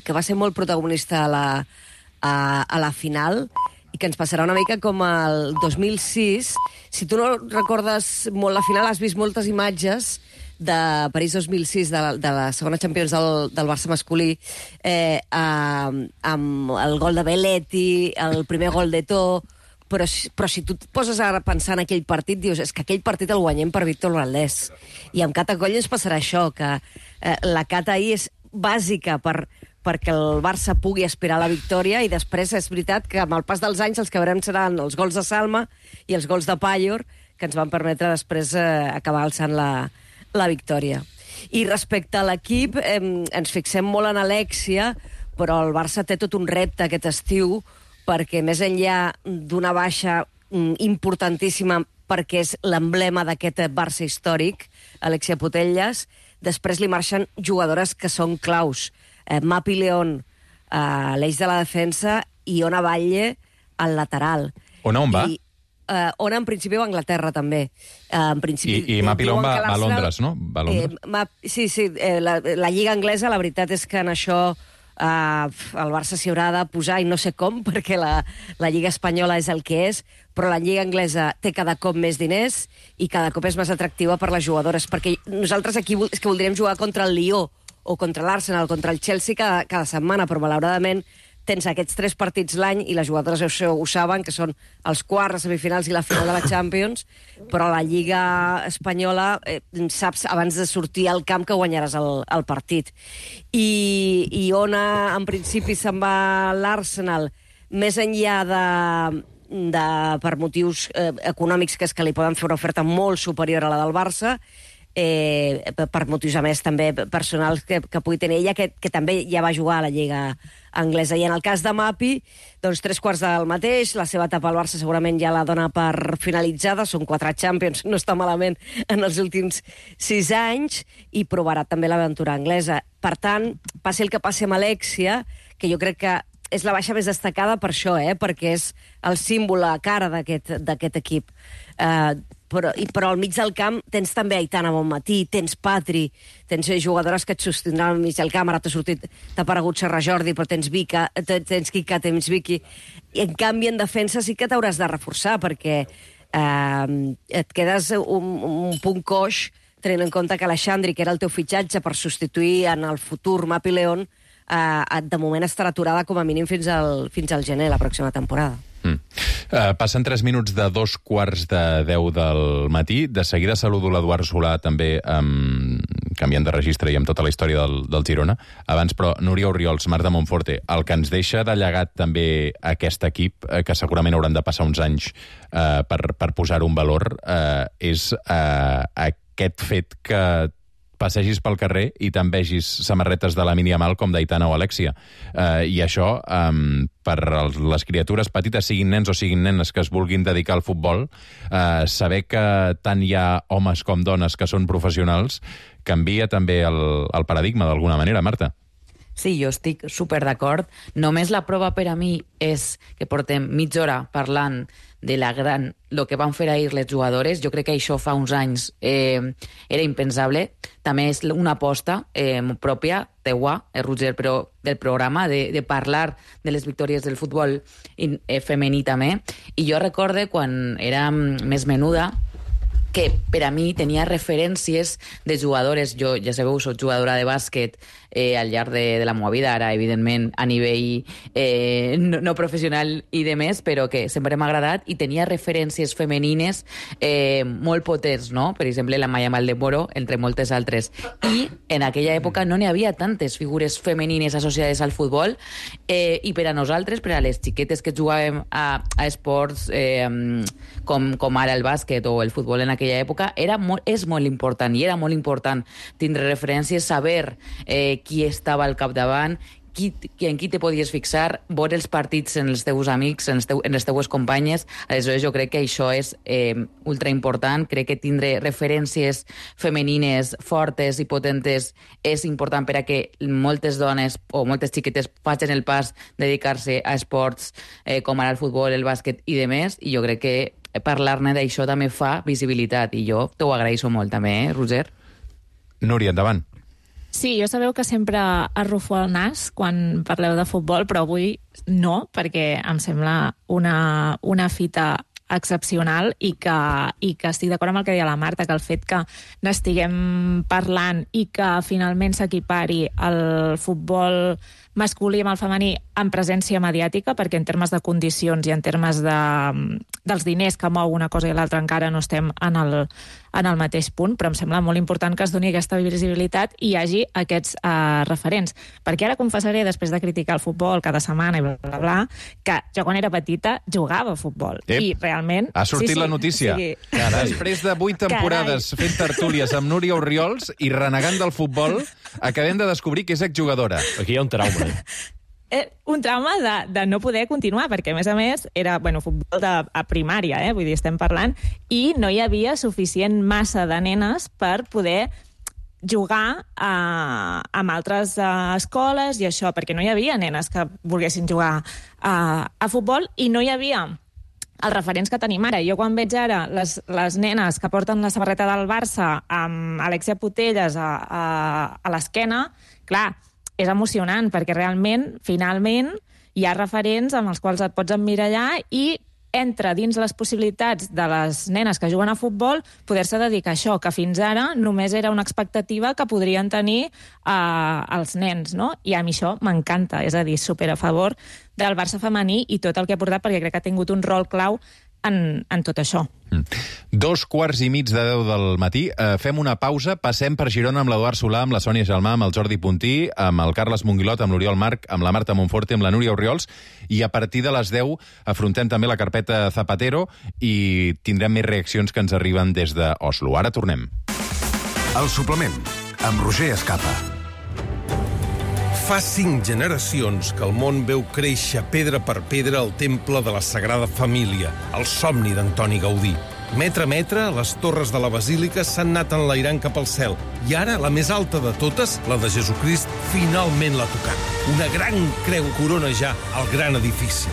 que va ser molt protagonista a la final i que ens passarà una mica com el 2006. Si tu no recordes molt la final, has vist moltes imatges de París 2006, de la segona Champions del Barça masculí, amb el gol de Belletti, el primer gol d'Eto'o, però si tu et poses a pensar en aquell partit, dius, és que aquell partit el guanyem per Víctor Valdés. I amb Cata Coll ens passarà això, que la Cata ahir és bàsica perquè el Barça pugui aspirar a la victòria, i després és veritat que amb el pas dels anys els que veurem seran els gols de Salma i els gols de Pajor, que ens van permetre després acabar alçant la victòria. I respecte a l'equip, ens fixem molt en Alexia, però el Barça té tot un repte aquest estiu, perquè més enllà d'una baixa importantíssima, perquè és l'emblema d'aquest Barça històric, Alexia Putellas, després li marxen jugadores que són claus. Mapi León a l'eix de la defensa i Ona Batlle al lateral. Ona on va? Ona en principi va a Anglaterra, també. I Mapi León va a Londres, no? Va a Londres. Sí, la Lliga Anglesa, la veritat és que en això el Barça s'hi haurà de posar, i no sé com, perquè la Lliga Espanyola és el que és, però la Lliga Anglesa té cada cop més diners i cada cop és més atractiva per les jugadores, perquè nosaltres aquí és que voldríem jugar contra el Lió o contra l'Arsenal, contra el Chelsea cada setmana, però malauradament tens aquests 3 partits l'any i les jugadores ho saben, que són els quarts, les semifinals i la final de la Champions, però la Lliga Espanyola saps abans de sortir al camp que guanyaràs el partit. I Ona, en principi, se'n va a l'Arsenal, més enllà per motius econòmics, que és que li poden fer una oferta molt superior a la del Barça, per motius, a més, també personals que pugui tenir ella, que també ja va jugar a la Lliga Anglesa. I en el cas de Mapi, doncs 3/4 del mateix, la seva etapa al Barça segurament ja la dona per finalitzada, són 4 Champions, no està malament en els últims 6 anys, i provarà també l'aventura anglesa. Per tant, passi el que passi amb Alexia, que jo crec que és la baixa més destacada per això, perquè és el símbol, la cara d'aquest equip. Però al mig del camp tens també Aitana Bonmatí, tens Patri, tens jugadores que et sostindran al mig del camp. Ara t'ha aparegut Serra Jordi, però tens Kika, tens Vicky. I en canvi, en defensa sí que t'hauràs de reforçar, perquè et quedes un punt coix, tenint en compte que Alexandri, que era el teu fitxatge per substituir en el futur Mapi León, de moment estarà aturada com a mínim fins al gener, la pròxima temporada. Passen 3 minuts de 2:45 del matí. De seguida saludo l'Eduard Solà, també canviant de registre i amb tota la història del Girona. Abans, però, Núria Orriols, Marc de Montforte, el que ens deixa de llegat també aquest equip, que segurament hauran de passar uns anys per posar un valor, és aquest fet que passegis pel carrer i te'n vegis samarretes de Lamine Yamal com d'Aitana o Alexia. I això, per les criatures petites, siguin nens o siguin nenes que es vulguin dedicar al futbol, saber que tant hi ha homes com dones que són professionals, canvia també el paradigma d'alguna manera, Marta. Sí, jo estic super d'acord. Només la prova per a mi és que portem mitja hora parlant de el que van fer ahir les jugadores. Jo crec que això fa uns anys era impensable. També és una aposta pròpia, teua, Roger, però del programa, de parlar de les victòries del futbol femení també. I jo recorde quan era més menuda, que per a mi tenia referències de jugadores. Jo, ja sabeu, soc jugadora de bàsquet al llarg de la meva vida, ara, evidentment, a nivell no professional i de més, però que sempre m'ha agradat, i tenia referències femenines molt potents, no? Per exemple, la Maya Maldemoro, entre moltes altres. I en aquella època no n'hi havia tantes figures femenines associades al futbol, i per a nosaltres, per a les xiquetes que jugàvem a esports com ara el bàsquet o el futbol en aquella època, és molt important, i era molt important tindre referències, saber qui estava al capdavant, en qui te podies fixar, veure els partits en els teus amics, en les teues companyes. Aleshores, jo crec que això és ultra important. Crec que tindre referències femenines fortes i potentes és important per a que moltes dones o moltes xiquetes facin el pas de dedicar-se a esports com ara el futbol, el bàsquet i demés, i jo crec que parlar-ne d'això també fa visibilitat, i jo t'ho agraeixo molt també, Roger. Núria, endavant. Sí, jo sabeu que sempre arrufo el nas quan parleu de futbol, però avui no, perquè em sembla una fita excepcional i que estic d'acord amb el que deia la Marta, que el fet que n'estiguem parlant i que finalment s'equipari el futbol masculí amb el femení en presència mediàtica, perquè en termes de condicions i en termes dels diners que mou una cosa i l'altra encara no estem en el mateix punt, però em sembla molt important que es doni aquesta visibilitat i hi hagi aquests referents. Perquè ara confessaré, després de criticar el futbol cada setmana i bla, bla, bla, que jo quan era petita jugava a futbol. I realment... Ha sortit la notícia. Sí. Després de 8 temporades fent tertúlies amb Núria Orriols i renegant del futbol, acabem de descobrir que és exjugadora. Aquí hi ha un trauma. Un trauma de no poder continuar, perquè a més era futbol a primària, vull dir, estem parlant, i no hi havia suficient massa de nenes per poder jugar amb altres escoles i això, perquè no hi havia nenes que volguessin jugar a futbol i no hi havia els referents que tenim ara. Jo quan veig ara les nenes que porten la samarreta del Barça amb Alexia Putellas a l'esquena, clar, és emocionant, perquè realment, finalment, hi ha referents amb els quals et pots emmirallar i entra dins les possibilitats de les nenes que juguen a futbol poder-se dedicar a això, que fins ara només era una expectativa que podrien tenir els nens, no? I a mi això m'encanta, és a dir, super a favor del Barça femení i tot el que ha portat, perquè crec que ha tingut un rol clau en tot això. 2:15 del matí. Fem una pausa, passem per Girona amb l'Eduard Solà, amb la Sònia Gelmà, amb el Jordi Puntí, amb el Carles Monguilot, amb l'Oriol Marc, amb la Marta Monforte, amb la Núria Orriols, i a partir de les 10 afrontem també la carpeta Zapatero i tindrem més reaccions que ens arriben des d'Oslo. Ara tornem. El suplement, amb Roger Escapa. Fa 5 generacions que el món veu créixer pedra per pedra el temple de la Sagrada Família, el somni d'Antoni Gaudí. Metre a metre, les torres de la basílica s'han anat enlairant cap al cel. I ara, la més alta de totes, la de Jesucrist, finalment l'ha tocat. Una gran creu corona ja el gran edifici.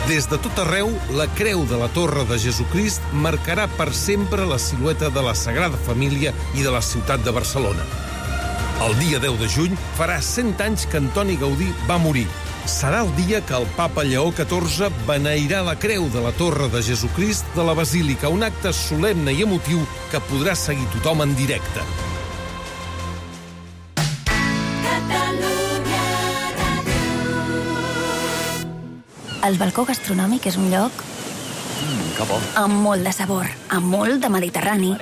Des de tot arreu, la creu de la Torre de Jesucrist marcarà per sempre la silueta de la Sagrada Família i de la ciutat de Barcelona. El dia 10 de juny farà 100 anys que Antoni Gaudí va morir. Serà el dia que el papa Lleó XIV beneirà la creu de la Torre de Jesucrist de la Basílica, un acte solemne i emotiu que podrà seguir tothom en directe. El balcó gastronòmic és un lloc que bo. Amb molt de sabor, amb molt de Mediterrani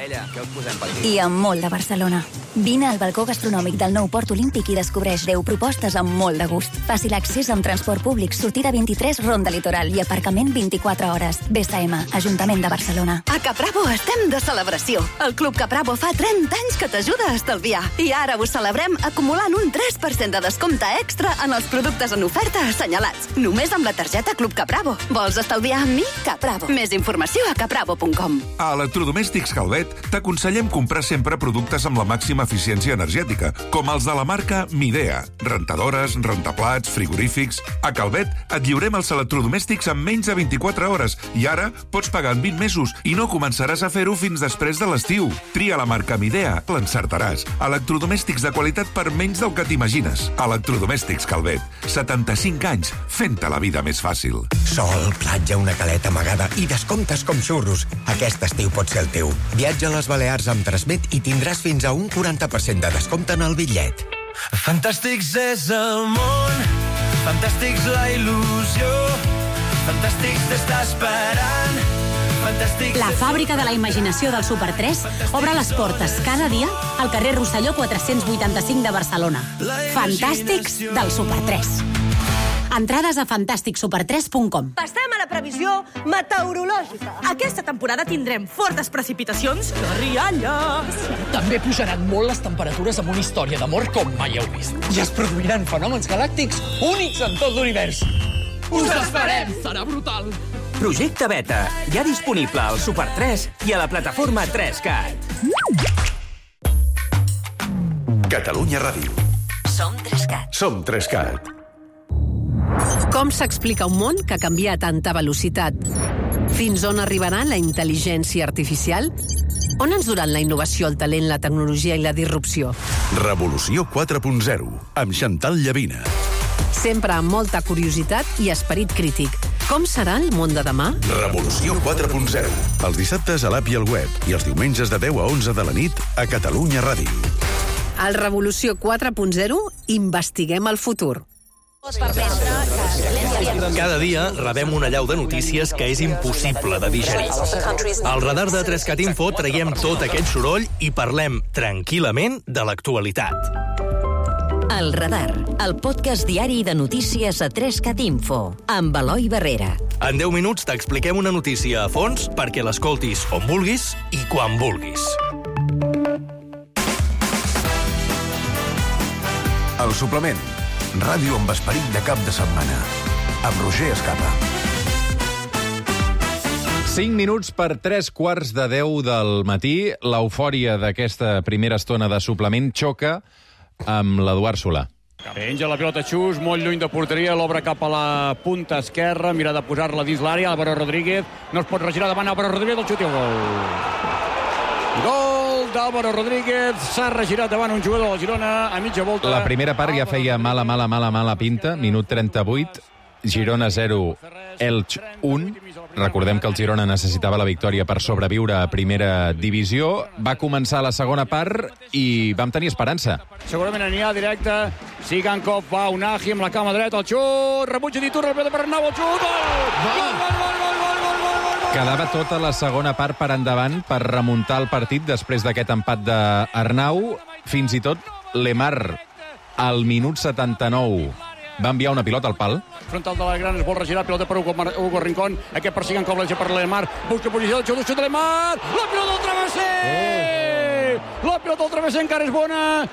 i amb molt de Barcelona. Vine al balcó gastronòmic del nou Port Olímpic i descobreix 10 propostes amb molt de gust. Fàcil accés amb transport públic, sortida 23, Ronda Litoral i aparcament 24 hores. BSM, Ajuntament de Barcelona. A Capravo estem de celebració. El Club Capravo fa 30 anys que t'ajuda a estalviar. I ara ho celebrem acumulant un 3% de descompte extra en els productes en oferta assenyalats. Només amb la targeta Club Capravo. Vols estalviar amb mi? Capravo. Més informació a capravo.com. A Electrodomèstics Calvet t'aconsellem comprar sempre productes amb la màxima eficiència energètica, com els de la marca Midea. Rentadores, rentaplats, frigorífics... A Calvet et lliurem els electrodomèstics en menys de 24 hores i ara pots pagar en 20 mesos i no començaràs a fer-ho fins després de l'estiu. Tria la marca Midea, l'encertaràs. Electrodomèstics de qualitat per menys del que t'imagines. Electrodomèstics Calvet. 75 anys fent-te la vida més fàcil. Sol, platja, una caleta amagada i descomptes com xurros. Aquest estiu pot ser el teu. Viatja a les Balears amb Transmet i tindràs fins a un 40% de descompte en el bitllet. Fantàstics és el món, fantàstics la il·lusió, fantàstics t'està esperant, fantàstics... La fàbrica de la imaginació del Super 3 obre les portes cada dia al carrer Rosselló 485 de Barcelona. Fantàstics del Super 3. Entrades a fantasticsuper3.com. Passem a la previsió meteorològica. Aquesta temporada tindrem fortes precipitacions de rialles. També pujaran molt les temperatures amb una història d'amor com mai heu vist. I es produiran fenòmens galàctics únics en tot l'univers. Us esperem! Serà brutal! Projecte Beta, ja disponible al Super 3 i a la plataforma 3CAT. Catalunya Ràdio. Som 3CAT. Som 3CAT. Com s'explica un món que canvia a tanta velocitat? Fins on arribarà la intel·ligència artificial? On ens duran la innovació, el talent, la tecnologia i la disrupció? Revolució 4.0, amb Chantal Llavina. Sempre amb molta curiositat i esperit crític. Com serà el món de demà? Revolució 4.0, els dissabtes a l'app i al web i els diumenges de 10 a 11 de la nit a Catalunya Ràdio. Al Revolució 4.0 investiguem el futur. Cada dia rebem una allau de notícies que és impossible de digerir. Al radar de 3CAT Info traiem tot aquest soroll i parlem tranquil·lament de l'actualitat. El Radar, el podcast diari de notícies a 3CAT Info, amb Eloi Barrera. En 10 minuts t'expliquem una notícia a fons perquè l'escoltis on vulguis i quan vulguis. El suplement. Ràdio amb esperit de cap de setmana. Amb Roger Escapa. 5 minuts per 3:15 del matí. L'eufòria d'aquesta primera estona de suplement xoca amb l'Eduard Solà. Penja la pilota Xus, molt lluny de porteria, l'obre cap a la punta esquerra, mira de posar-la dins l'àrea, Álvaro Rodríguez, no es pot regirar davant Álvaro Rodríguez, el xut i el gol. Gol d'Álvaro Rodríguez, s'ha regirat davant un jugador del Girona a mitja volta. La primera part ja feia mala pinta, minut 38, Girona 0, Elx 1. Recordem que el Girona necessitava la victòria per sobreviure a primera divisió. Va començar la segona part i vam tenir esperança. Segurament anirà directe. Sigankov va Unai amb la cama dreta, el xut, rebutja d'Iturra, per Arnau, el xut, gol! Quedava tota la segona part per endavant per remuntar el partit després d'aquest empat d'Arnau. Fins i tot Lemar, al minut 79, va enviar una pilota al pal. Frontal de la gran, es vol regirar, pilota per Hugo Rincón, aquest persiguen com l'Elge per Lemar, busca posició, el xut de Lemar, la pilota del travesser! La pilota del travesser encara és bona.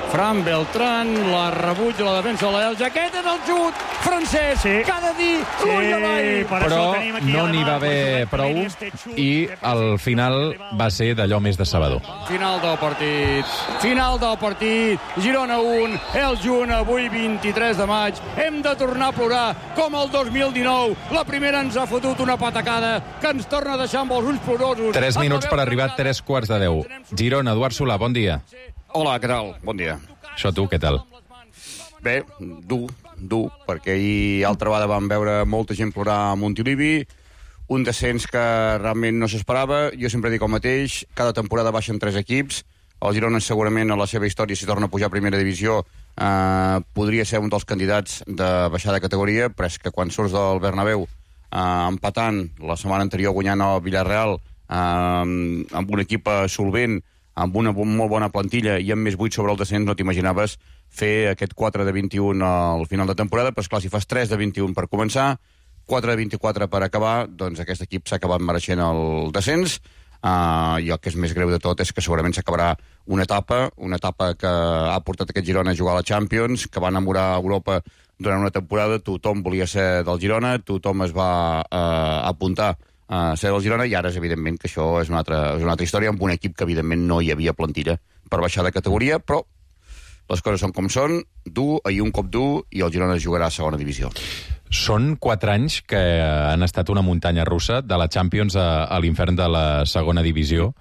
Fran Beltrán, la rebutja la defensa de l'Elge, aquest és el xut francès, que ha de dir l'ull a l'all. Però no n'hi va haver prou i al final va ser d'allò més decebedor. Final del partit, Girona 1, Elx 1, avui 23 de maig, hem de tornar a plorar com el 2019, la primera ens ha fotut una patacada que ens torna a deixar amb els ulls plorosos. 3 minuts per arribar a 3:15. Girona, Eduard Solà, bon dia. Hola, què tal? Bon dia. Això tu, què tal? Bé, dur, perquè ahir altra vegada vam veure molta gent plorar a Montilivi, un descens que realment no s'esperava. Jo sempre dic el mateix, cada temporada baixen 3 equips, el Girona segurament a la seva història, si torna a pujar a primera divisió, podria ser un dels candidats de baixar de categoria, però és que quan surts del Bernabéu empatant la setmana anterior guanyant el Villarreal amb un equip solvent, amb una molt bona plantilla i amb més 8 sobre el descens, no t'imaginaves fer aquest 4 de 21 al final de temporada, però esclar, si fas 3 de 21 per començar, 4 de 24 per acabar, doncs aquest equip s'ha acabat mereixent el descens, i el que és més greu de tot és que segurament s'acabarà una etapa que ha portat aquest Girona a jugar a la Champions, que va enamorar a Europa durant una temporada, tothom volia ser del Girona, tothom es va apuntar a ser del Girona, i ara és evidentment que això és una altra història, amb un equip que evidentment no hi havia plantilla per baixar de categoria, però les coses són com són, dur, ahir un cop dur, i el Girona jugarà a segona divisió. Són 4 anys que han estat una muntanya russa de la Champions a l'infern de la segona divisió,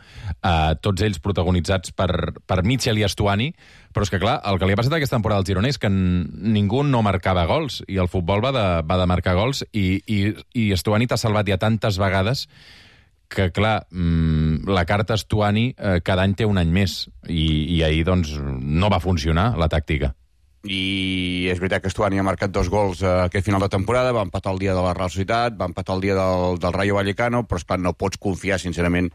tots ells protagonitzats per Mitchell i Estuani, però és que, clar, el que li ha passat aquesta temporada al Girona és que ningú no marcava gols, i el futbol va de marcar gols, i Estuani t'ha salvat ja tantes vegades que, clar, la carta Estuani cada any té un any més, i ahir, doncs, no va funcionar la tàctica. I és veritat que Estuani ha marcat 2 gols aquest final de temporada, va empatar el dia de la Real Societat, va empatar el dia del Rayo Vallecano, però esclar, no pots confiar sincerament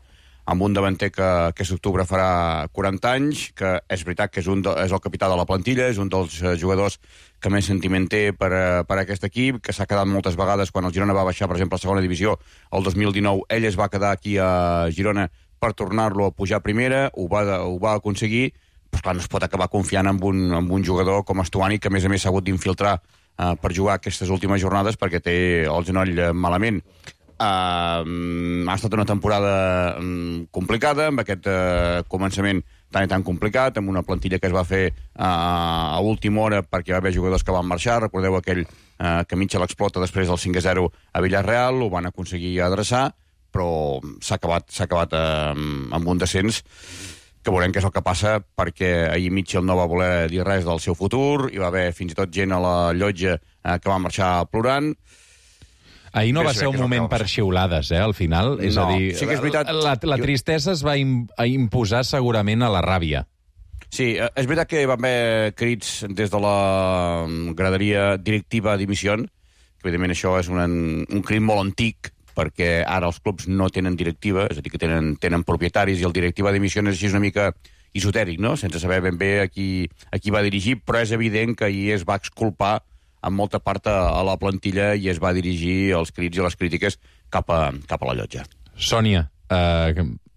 amb un davanter que aquest octubre farà 40 anys, que és veritat que és el capità de la plantilla, és un dels jugadors que més sentiment té per aquest equip, que s'ha quedat moltes vegades quan el Girona va baixar, per exemple, a segona divisió, el 2019, ell es va quedar aquí a Girona per tornar-lo a pujar a primera, ho va aconseguir, però clar, no es pot acabar confiant en un jugador com Estuani, que a més s'ha hagut d'infiltrar per jugar aquestes últimes jornades perquè té el genoll malament. Ha estat una temporada complicada, amb aquest començament tan i tan complicat, amb una plantilla que es va fer a última hora perquè va haver jugadors que van marxar. Recordeu aquell que Mitchell explota després del 5-0 a Villarreal, ho van aconseguir adreçar, però s'ha acabat amb un descens que veurem què és el que passa, perquè ahir Mitchell no va voler dir res del seu futur, hi va haver fins i tot gent a la llotja que va marxar plorant. Ahir no va ser un moment per xiulades, al final. És a dir, sí que és veritat. La tristesa es va imposar segurament a la ràbia. Sí, és veritat que van haver crits des de la graderia directiva d'Dimissió, que evidentment això és un crit molt antic, perquè ara els clubs no tenen directiva, és a dir, que tenen propietaris, i el directiva d'Dimissió és així una mica esotèric, no? Sense saber ben bé a qui va dirigir, però és evident que ahir es va exculpar en molta part a la plantilla i es va dirigir els crits i les crítiques cap a la llotja. Sònia,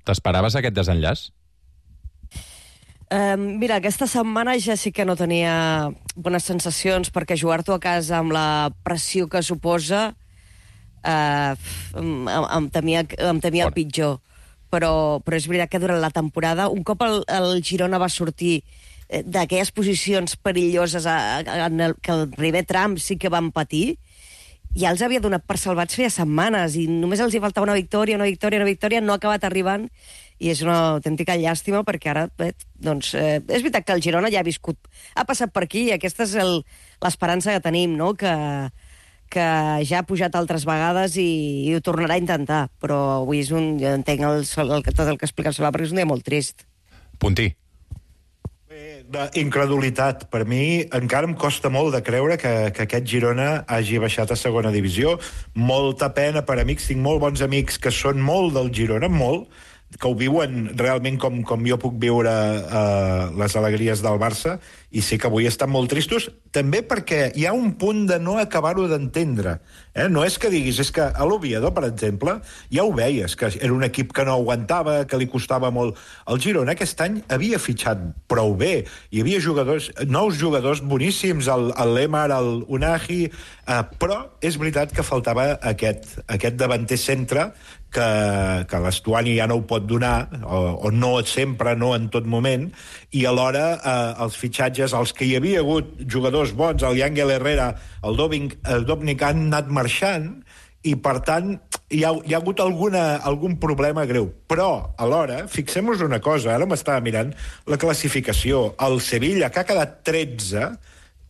t'esperaves aquest desenllaç? Mira, aquesta setmana ja sí que no tenia bones sensacions, perquè jugar-t'ho a casa amb la pressió que suposa em temia el pitjor. Però és veritat que durant la temporada, un cop el Girona va sortir d'aquelles posicions perilloses que el primer tram sí que van patir, ja els havia donat per salvats feia setmanes i només els hi faltava una victòria, no ha acabat arribant, i és una autèntica llàstima, perquè ara és veritat que el Girona ja ha passat per aquí, i aquesta és l'esperança que tenim, no? Que ja ha pujat altres vegades i ho tornarà a intentar, però avui jo entenc tot el que explica el Solà, perquè és un dia molt trist. Puntí. Incredulitat. Per mi encara em costa molt de creure que aquest Girona hagi baixat a segona divisió. Molta pena per amics. Tinc molt bons amics que són molt del Girona, molt, que ho viuen realment com jo puc viure les alegries del Barça, i sí que avui estan molt tristos, també perquè hi ha un punt de no acabar-ho d'entendre. No és que diguis, és que a l'Oviedo, per exemple, ja ho veies, que era un equip que no aguantava, que li costava molt. El Girona aquest any havia fitxat prou bé, hi havia nous jugadors boníssims, el Lemar, el Unai, però és veritat que faltava aquest davanter centre que l'Estuani ja no ho pot donar, o no sempre, no en tot moment, i alhora els fitxatges, els que hi havia hagut jugadors bons, el Yangel Herrera, el Dovnik, han anat marxant, i per tant hi ha hagut algun problema greu. Però alhora, fixem-nos una cosa, ara m'estava mirant la classificació, el Sevilla, que ha quedat 13,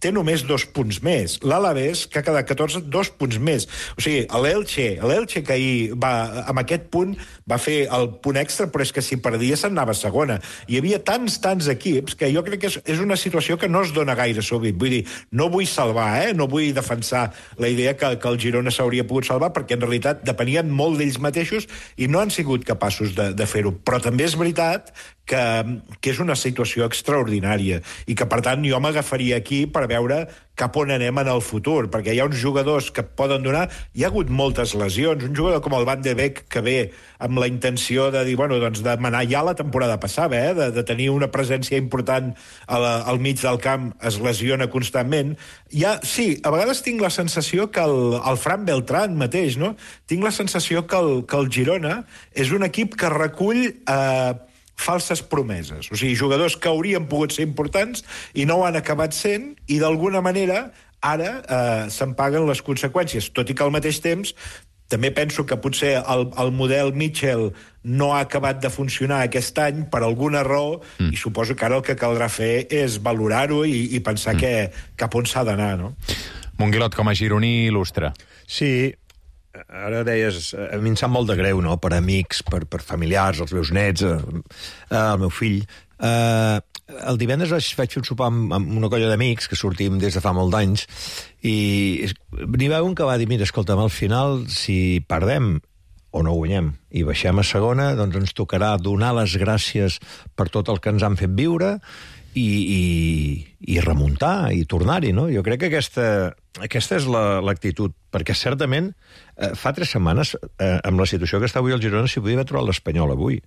té només 2 punts més. L'Alavés, que ha quedat 14, 2 punts més. O sigui, l'Elche que ahir amb aquest punt va fer el punt extra, però és que si perdia se'n anava a segona. Hi havia tants equips que jo crec que és una situació que no es dona gaire sovint. Vull dir, no vull salvar, no vull defensar la idea que el Girona s'hauria pogut salvar, perquè en realitat depenien molt d'ells mateixos i no han sigut capaços de fer-ho. Però també és veritat que és una situació extraordinària i que, per tant, jo m'agafaria aquí per veure cap on anem en el futur, perquè hi ha uns jugadors que poden donar... Hi ha hagut moltes lesions. Un jugador com el Van de Beek, que ve amb la intenció de dir, de manar ja la temporada passada, de tenir una presència important al mig del camp, es lesiona constantment. Sí, a vegades tinc la sensació que el Fran Beltrán mateix, no? Tinc la sensació que el Girona és un equip que recull... falses promeses, o sigui, jugadors que haurien pogut ser importants i no ho han acabat sent, i d'alguna manera ara se'n paguen les conseqüències, tot i que al mateix temps també penso que potser el model Mitchell no ha acabat de funcionar aquest any per alguna raó, i suposo que ara el que caldrà fer és valorar-ho i pensar cap on s'ha d'anar, no? Monguilot, com a gironí il·lustre. Sí, ara deies, a mi em sap molt de greu, no?, per amics, per familiars, els meus nets, el meu fill. El divendres vaig fer un sopar amb una colla d'amics que sortim des de fa molt d'anys, i n'hi va un que va dir, mira, escolta'm, al final, si perdem o no guanyem i baixem a segona, doncs ens tocarà donar les gràcies per tot el que ens han fet viure i remuntar i tornar-hi, no? Jo crec que aquesta és l'actitud, perquè certament fa 3 setmanes, amb la situació que està avui el Girona, s'hi podia haver trobat l'Espanyol avui.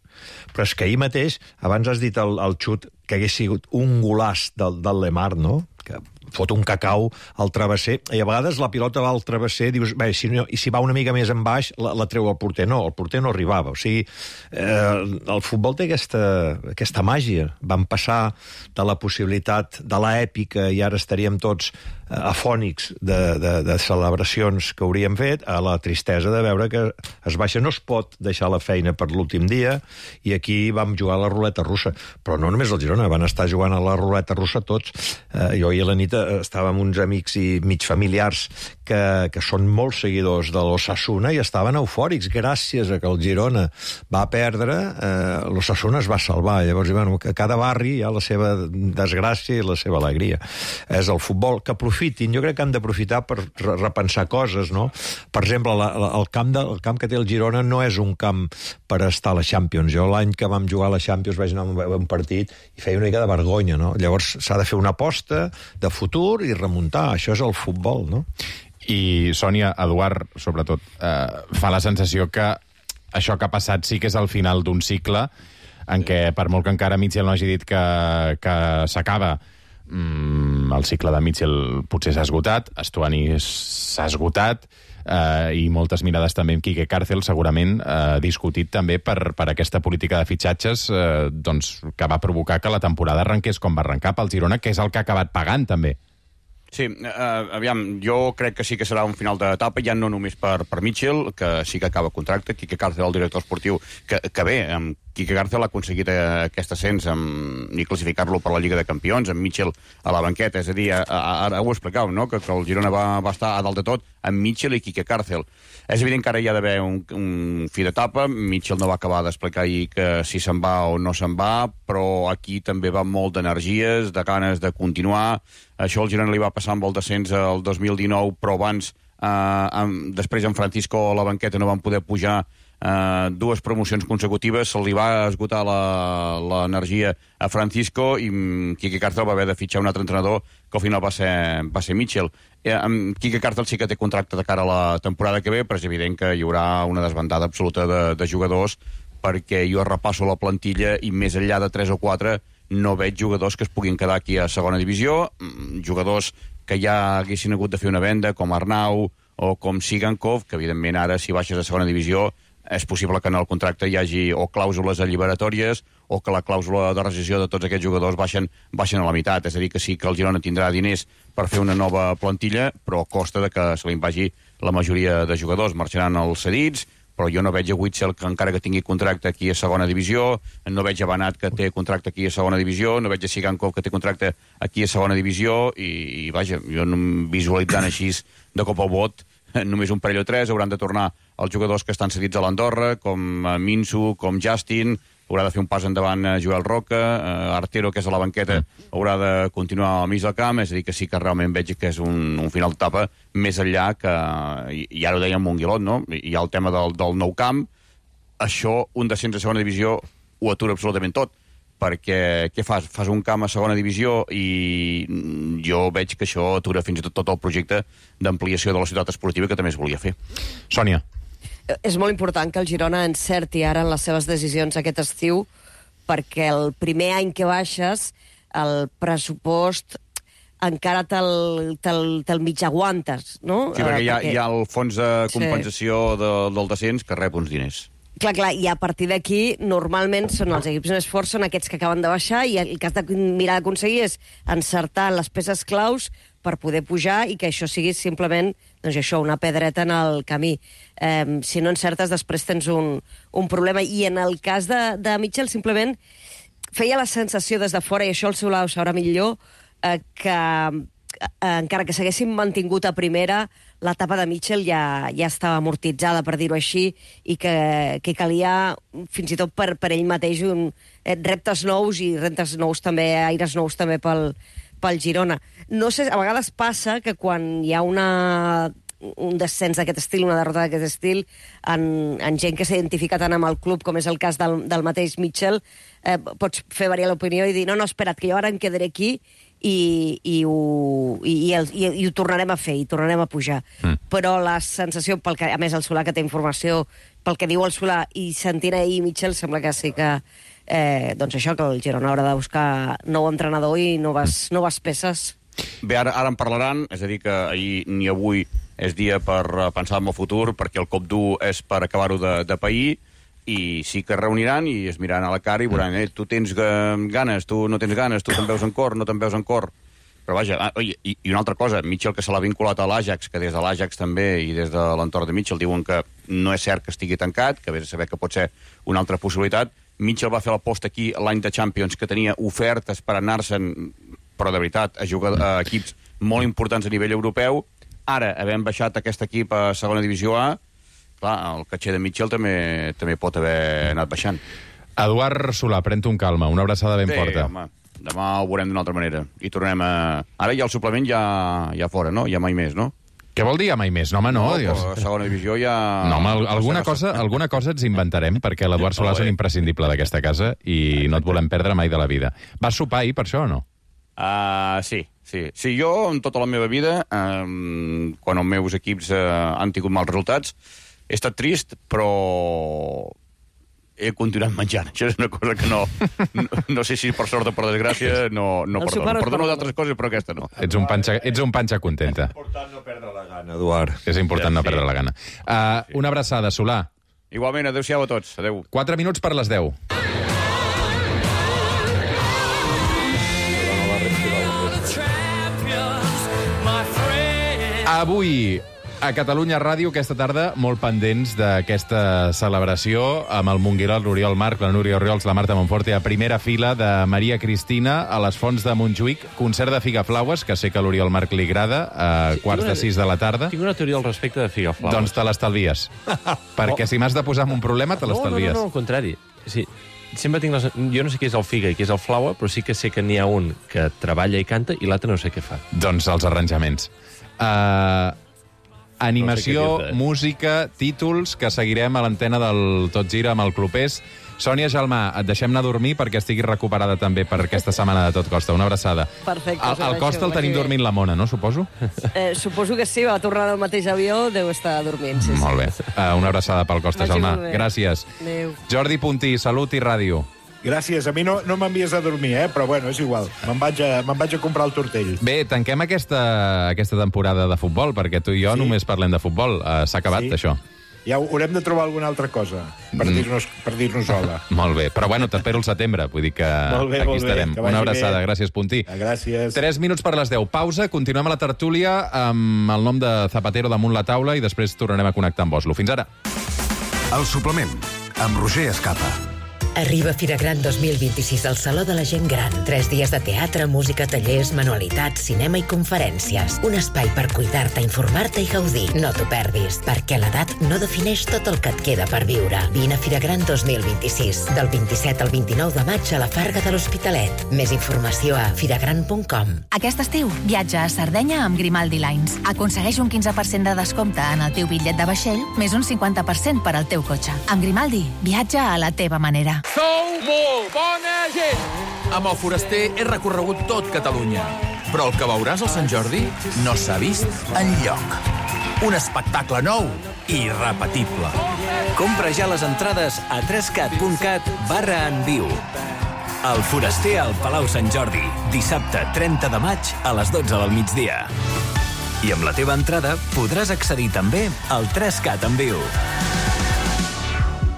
Però és que ahir mateix, abans has dit el xut que hagués sigut un golàs del Lemar, no? Que fot un cacau al travesser, i a vegades la pilota va al travesser, dius, bé, i si va una mica més en baix, la treu al porter. No, el porter no arribava. O sigui, el futbol té aquesta màgia. Vam passar de la possibilitat de l'èpica i ara estaríem tots afònics de celebracions que hauríem fet, a la tristesa de veure que es baixa. No es pot deixar la feina per l'últim dia, i aquí vam jugar a la ruleta russa. Però no només el Girona, van estar jugant a la ruleta russa tots. Jo i la nit estava amb uns amics i mig familiars que són molts seguidors de l'Osasuna i estaven eufòrics gràcies a que el Girona va perdre, l'Osasuna es va salvar. Llavors, bueno, cada barri hi ha la seva desgràcia i la seva alegria. És el futbol que aprofitin, jo crec que han d'aprofitar per repensar coses, no? Per exemple, el camp que té el Girona no és un camp per estar a la Champions. Jo l'any que vam jugar a la Champions vaig anar a un partit i feia una mica de vergonya, no? Llavors s'ha de fer una aposta de futur i remuntar. Això és el futbol, no? I, Sònia, Eduard, sobretot, fa la sensació que això que ha passat sí que és el final d'un cicle en què, per molt que encara Mitchell no hagi dit que s'acaba, el cicle de Mitchell potser s'ha esgotat, Estuani s'ha esgotat, i moltes mirades també amb Quique Cárcel, segurament discutit també per aquesta política de fitxatges doncs, que va provocar que la temporada arrenqués com va arrencar pel Girona, que és el que ha acabat pagant també. Sí, aviam, jo crec que sí que serà un final d'etapa, ja no només per Mitchell, que sí que acaba contracte, Quique Cárcel, el director esportiu, que bé, amb Quique Cárcel ha aconseguit aquest ascens i classificar-lo per la Lliga de Campions, amb Mitchell a la banqueta, és a dir, ara ho explicau, no?, que el Girona va estar a dalt de tot amb Mitchell i Quique Cárcel. És evident que ara hi ha d'haver un fi d'etapa, Mitchell no va acabar d'explicar ahir que si se'n va o no se'n va, però aquí també va molt d'energies, de ganes de continuar. Això al Girona li va passar amb el descens el 2019, però abans, després en Francisco a la banqueta no van poder pujar 2 promocions consecutives, se li va esgotar l'energia a Francisco i Quique Cárcel va haver de fitxar un altre entrenador que al final va ser Mitchell. Quique Cárcel sí que té contracte de cara a la temporada que ve, però és evident que hi haurà una desbandada absoluta de jugadors, perquè jo repasso la plantilla i més enllà de 3 o 4 no veig jugadors que es puguin quedar aquí a segona divisió, jugadors que ja haguessin hagut de fer una venda, com Arnau o com Sigankov, que evidentment ara si baixes a segona divisió és possible que en el contracte hi hagi o clàusules alliberatòries o que la clàusula de rescissió de tots aquests jugadors baixen a la meitat. És a dir, que sí que el Girona tindrà diners per fer una nova plantilla, però a costa de que se li vagi la majoria de jugadors. Marxaran els cedits, però jo no veig a Witzel que encara que tingui contracte aquí a segona divisió, no veig a Banat que té contracte aquí a segona divisió, no veig a Sigankov que té contracte aquí a segona divisió, i vaja, jo visualitzant així de cop al vot, només un parell o 3 hauran de tornar els jugadors que estan cedits a l'Andorra, com Minsu, com Justin, haurà de fer un pas endavant Joel Roca, Artero, que és a la banqueta, haurà de continuar al mig del camp, és a dir, que sí que realment veig que és un final d'etapa més enllà que, i ara ho dèiem Monguilot, no? Hi ha el tema del nou camp, això, un descens a segona divisió, ho atura absolutament tot, perquè què fas? Fas un camp a segona divisió i jo veig que això atura fins i tot el projecte d'ampliació de la ciutat esportiva que també es volia fer. Sònia. És molt important que el Girona encerti ara en les seves decisions aquest estiu, perquè el primer any que baixes, el pressupost encara te'l mig aguantes, no? Sí, perquè hi ha el fons de compensació del descens que rep uns diners. Clar, i a partir d'aquí, normalment són els equips més forts, són aquests que acaben de baixar, i el que has de mirar d'aconseguir és encertar les peces claus per poder pujar i que això sigui simplement, doncs això, una pedreta en el camí. Si no encertes, després tens un problema. I en el cas de Mitchell, simplement feia la sensació des de fora, i això el Solà ho sabrà millor, que encara que s'haguessin mantingut a primera, l'etapa de Mitchell ja estava amortitzada, per dir-ho així, i que calia, fins i tot per ell mateix, reptes nous i reptes nous també, aires nous també pel Girona. No sé, a vegades passa que quan hi ha una un descens d'aquest estil, una derrota d'aquest estil, en gent que s'identifica tant amb el club, com és el cas del mateix Mitchell, pots fer variar l'opinió i dir, no, espera't, que jo ara em quedaré aquí i ho tornarem a fer, i tornarem a pujar. Però la sensació, a més el Solà que té informació, pel que diu el Solà, i sentint ahir Mitchell, sembla que sí que doncs això, que el Girona haurà de buscar nou entrenador i noves peces. Bé, ara en parlaran, és a dir, que ahir ni avui és dia per pensar en el futur, perquè el cop dur és per acabar-ho de pair, i sí que es reuniran i es miraran a la cara i veuran, tu tens ganes, tu no tens ganes, tu te'n veus en cor, no te'n veus en cor. Però vaja, i una altra cosa, Mitchell, que se l'ha vinculat a l'Ajax, que des de l'Ajax també i des de l'entorn de Mitchell diuen que no és cert que estigui tancat, que vés a saber que pot ser una altra possibilitat. Mitchell va fer l'aposta aquí l'any de Champions, que tenia ofertes per anar-se'n, però de veritat, a jugar a equips molt importants a nivell europeu. Ara, havent baixat aquest equip a segona divisió A, clar, el caché de Mitchell també pot haver anat baixant. Eduard Solà, pren-t'ho amb calma, una abraçada ben forta. Home, demà ho veurem d'una altra manera. I tornem a... Ara ja el suplement ja fora, no? Ja mai més, no? Què vol dir ja mai més? No, home, no. A segona divisió ja... No, home, alguna cosa ens inventarem, perquè l'Eduard Solà és un imprescindible d'aquesta casa i no et volem perdre mai de la vida. Vas sopar ahir per això o no? Sí. Sí, jo, en tota la meva vida, quan els meus equips han tingut mals resultats, he estat trist, però he continuat menjant. Això és una cosa que no sé si per sort o per desgràcia no perdono. Perdono d'altres coses, però aquesta no. Ets un panxa contenta. És important no perdre la gana, Eduard. És important no perdre la gana. Una abraçada, Solà. Igualment, adéu-siau a tots. Adéu. 4 minuts per les 10. Avui, a Catalunya Ràdio, aquesta tarda, molt pendents d'aquesta celebració amb el Monguera, l'Oriol Marc, la Núria Oriols, la Marta Monforte, a primera fila de Maria Cristina a les Fonts de Montjuïc, concert de Figaflaues, que sé que a l'Oriol Marc li agrada, a quarts de 6 de la tarda. Tinc una teoria al respecte de Figaflaues. Doncs te l'estalvies. Perquè si m'has de posar en un problema, te l'estalvies. No, al contrari. Sí, sempre tinc jo no sé què és el figa i què és el flower, però sí que sé que n'hi ha un que treballa i canta i l'altre no sé què fa. Doncs els arranjaments. Animació, música, títols, que seguirem a l'antena del Tot Gira amb el Clopés. Sònia Gelmà, et deixem anar a dormir perquè estiguis recuperada també per aquesta setmana de Tot Costa. Una abraçada. Perfecte. Al Costa el tenim dormint la Mona, no, suposo? Suposo que sí, va tornar del mateix avió, deu estar dormint. Sí, molt bé. Una abraçada pel Costa, Gelmà. Gràcies. Adéu. Jordi Puntí, Salut i Ràdio. Gràcies. A mi no m'envies a dormir, però bueno, és igual. Me'n vaig a comprar el tortell. Bé, tanquem aquesta temporada de futbol, perquè tu i jo només parlem de futbol. S'ha acabat, això. Ja haurem de trobar alguna altra cosa per dir-nos hola. Molt bé, però bueno, t'espero el setembre, vull dir que aquí estarem. Una abraçada, gràcies, Puntí. Gràcies. 3 minuts per les 10. Pausa, continuem a la tertúlia amb el nom de Zapatero damunt la taula i després tornarem a connectar amb Oslo. Fins ara. El suplement, amb Roger Escapa. Arriba Fira Gran 2026 al Saló de la Gent Gran. 3 dies de teatre, música, tallers, manualitats, cinema i conferències. Un espai per cuidar-te, informar-te i gaudir. No t'ho perdis, perquè l'edat no defineix tot el que et queda per viure. Vine a Fira Gran 2026, del 27 al 29 de maig a la Farga de l'Hospitalet. Més informació a firagran.com. Aquest estiu, viatja a Sardenya amb Grimaldi Lines. Aconsegueix un 15% de descompte en el teu bitllet de vaixell, més un 50% per al teu cotxe. Amb Grimaldi, viatja a la teva manera. Sou molt bona gent! Amb el Foraster he recorregut tot Catalunya. Però el que veuràs al Sant Jordi no s'ha vist enlloc. Un espectacle nou i irrepetible. Compra ja les entrades a 3cat.cat/enviu. El Foraster al Palau Sant Jordi, dissabte 30 de maig a les 12 del migdia. I amb la teva entrada podràs accedir també al 3Cat en viu.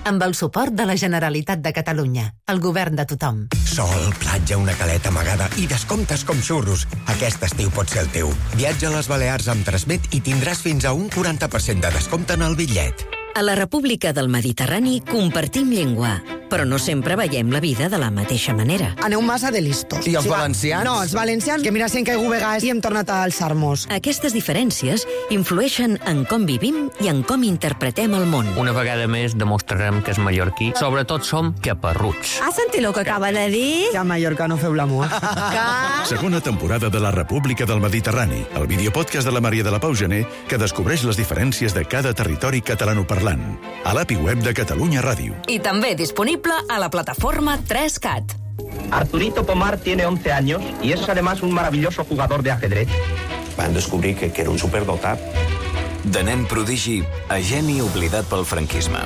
Amb el suport de la Generalitat de Catalunya, el govern de tothom. Sol, platja, una caleta amagada i descomptes com xurros. Aquest estiu pot ser el teu. Viatja a les Balears amb Transmet i tindràs fins a un 40% de descompte en el bitllet. A la República del Mediterrani compartim llengua, però no sempre veiem la vida de la mateixa manera. Aneu massa de listos. I els valencians? No, els valencians, que mira, si hem caigut vegades i hem tornat a alçar-nos. Aquestes diferències influeixen en com vivim i en com interpretem el món. Una vegada més demostrarem que és mallorquí. Sobretot som caparruts. Has sentit el que acaba de dir? Que a Mallorca no feu l'amor. Segona temporada de la República del Mediterrani, el videopodcast de la Maria de la Pau Gené que descobreix les diferències de cada territori catalanoparlant. A l'API web de Catalunya Ràdio. I també disponible a la plataforma 3CAT. Arturito Pomar tiene 11 años y es además un maravilloso jugador de ajedrez. Van descobrir que era un superdotat. De nen prodigi a geni oblidat pel franquisme.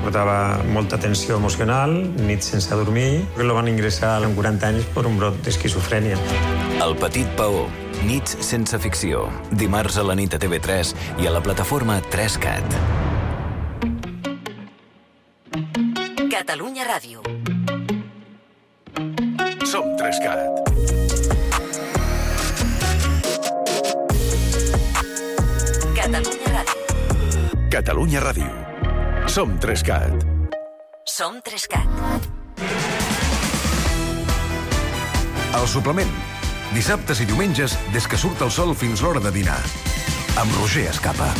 Portava molta tensió emocional, nits sense dormir, que el van ingressar amb 40 anys per un brot d'esquizofrènia. El petit Paó, nits sense ficció, dimarts a la nit a TV3 i a la plataforma 3CAT. Catalunya Ràdio. Som 3CAT. Catalunya Ràdio. Catalunya Ràdio. Som 3CAT. Som 3CAT. El suplement. Dissabtes i diumenges, des que surt el sol fins l'hora de dinar. Amb Roger Escapa.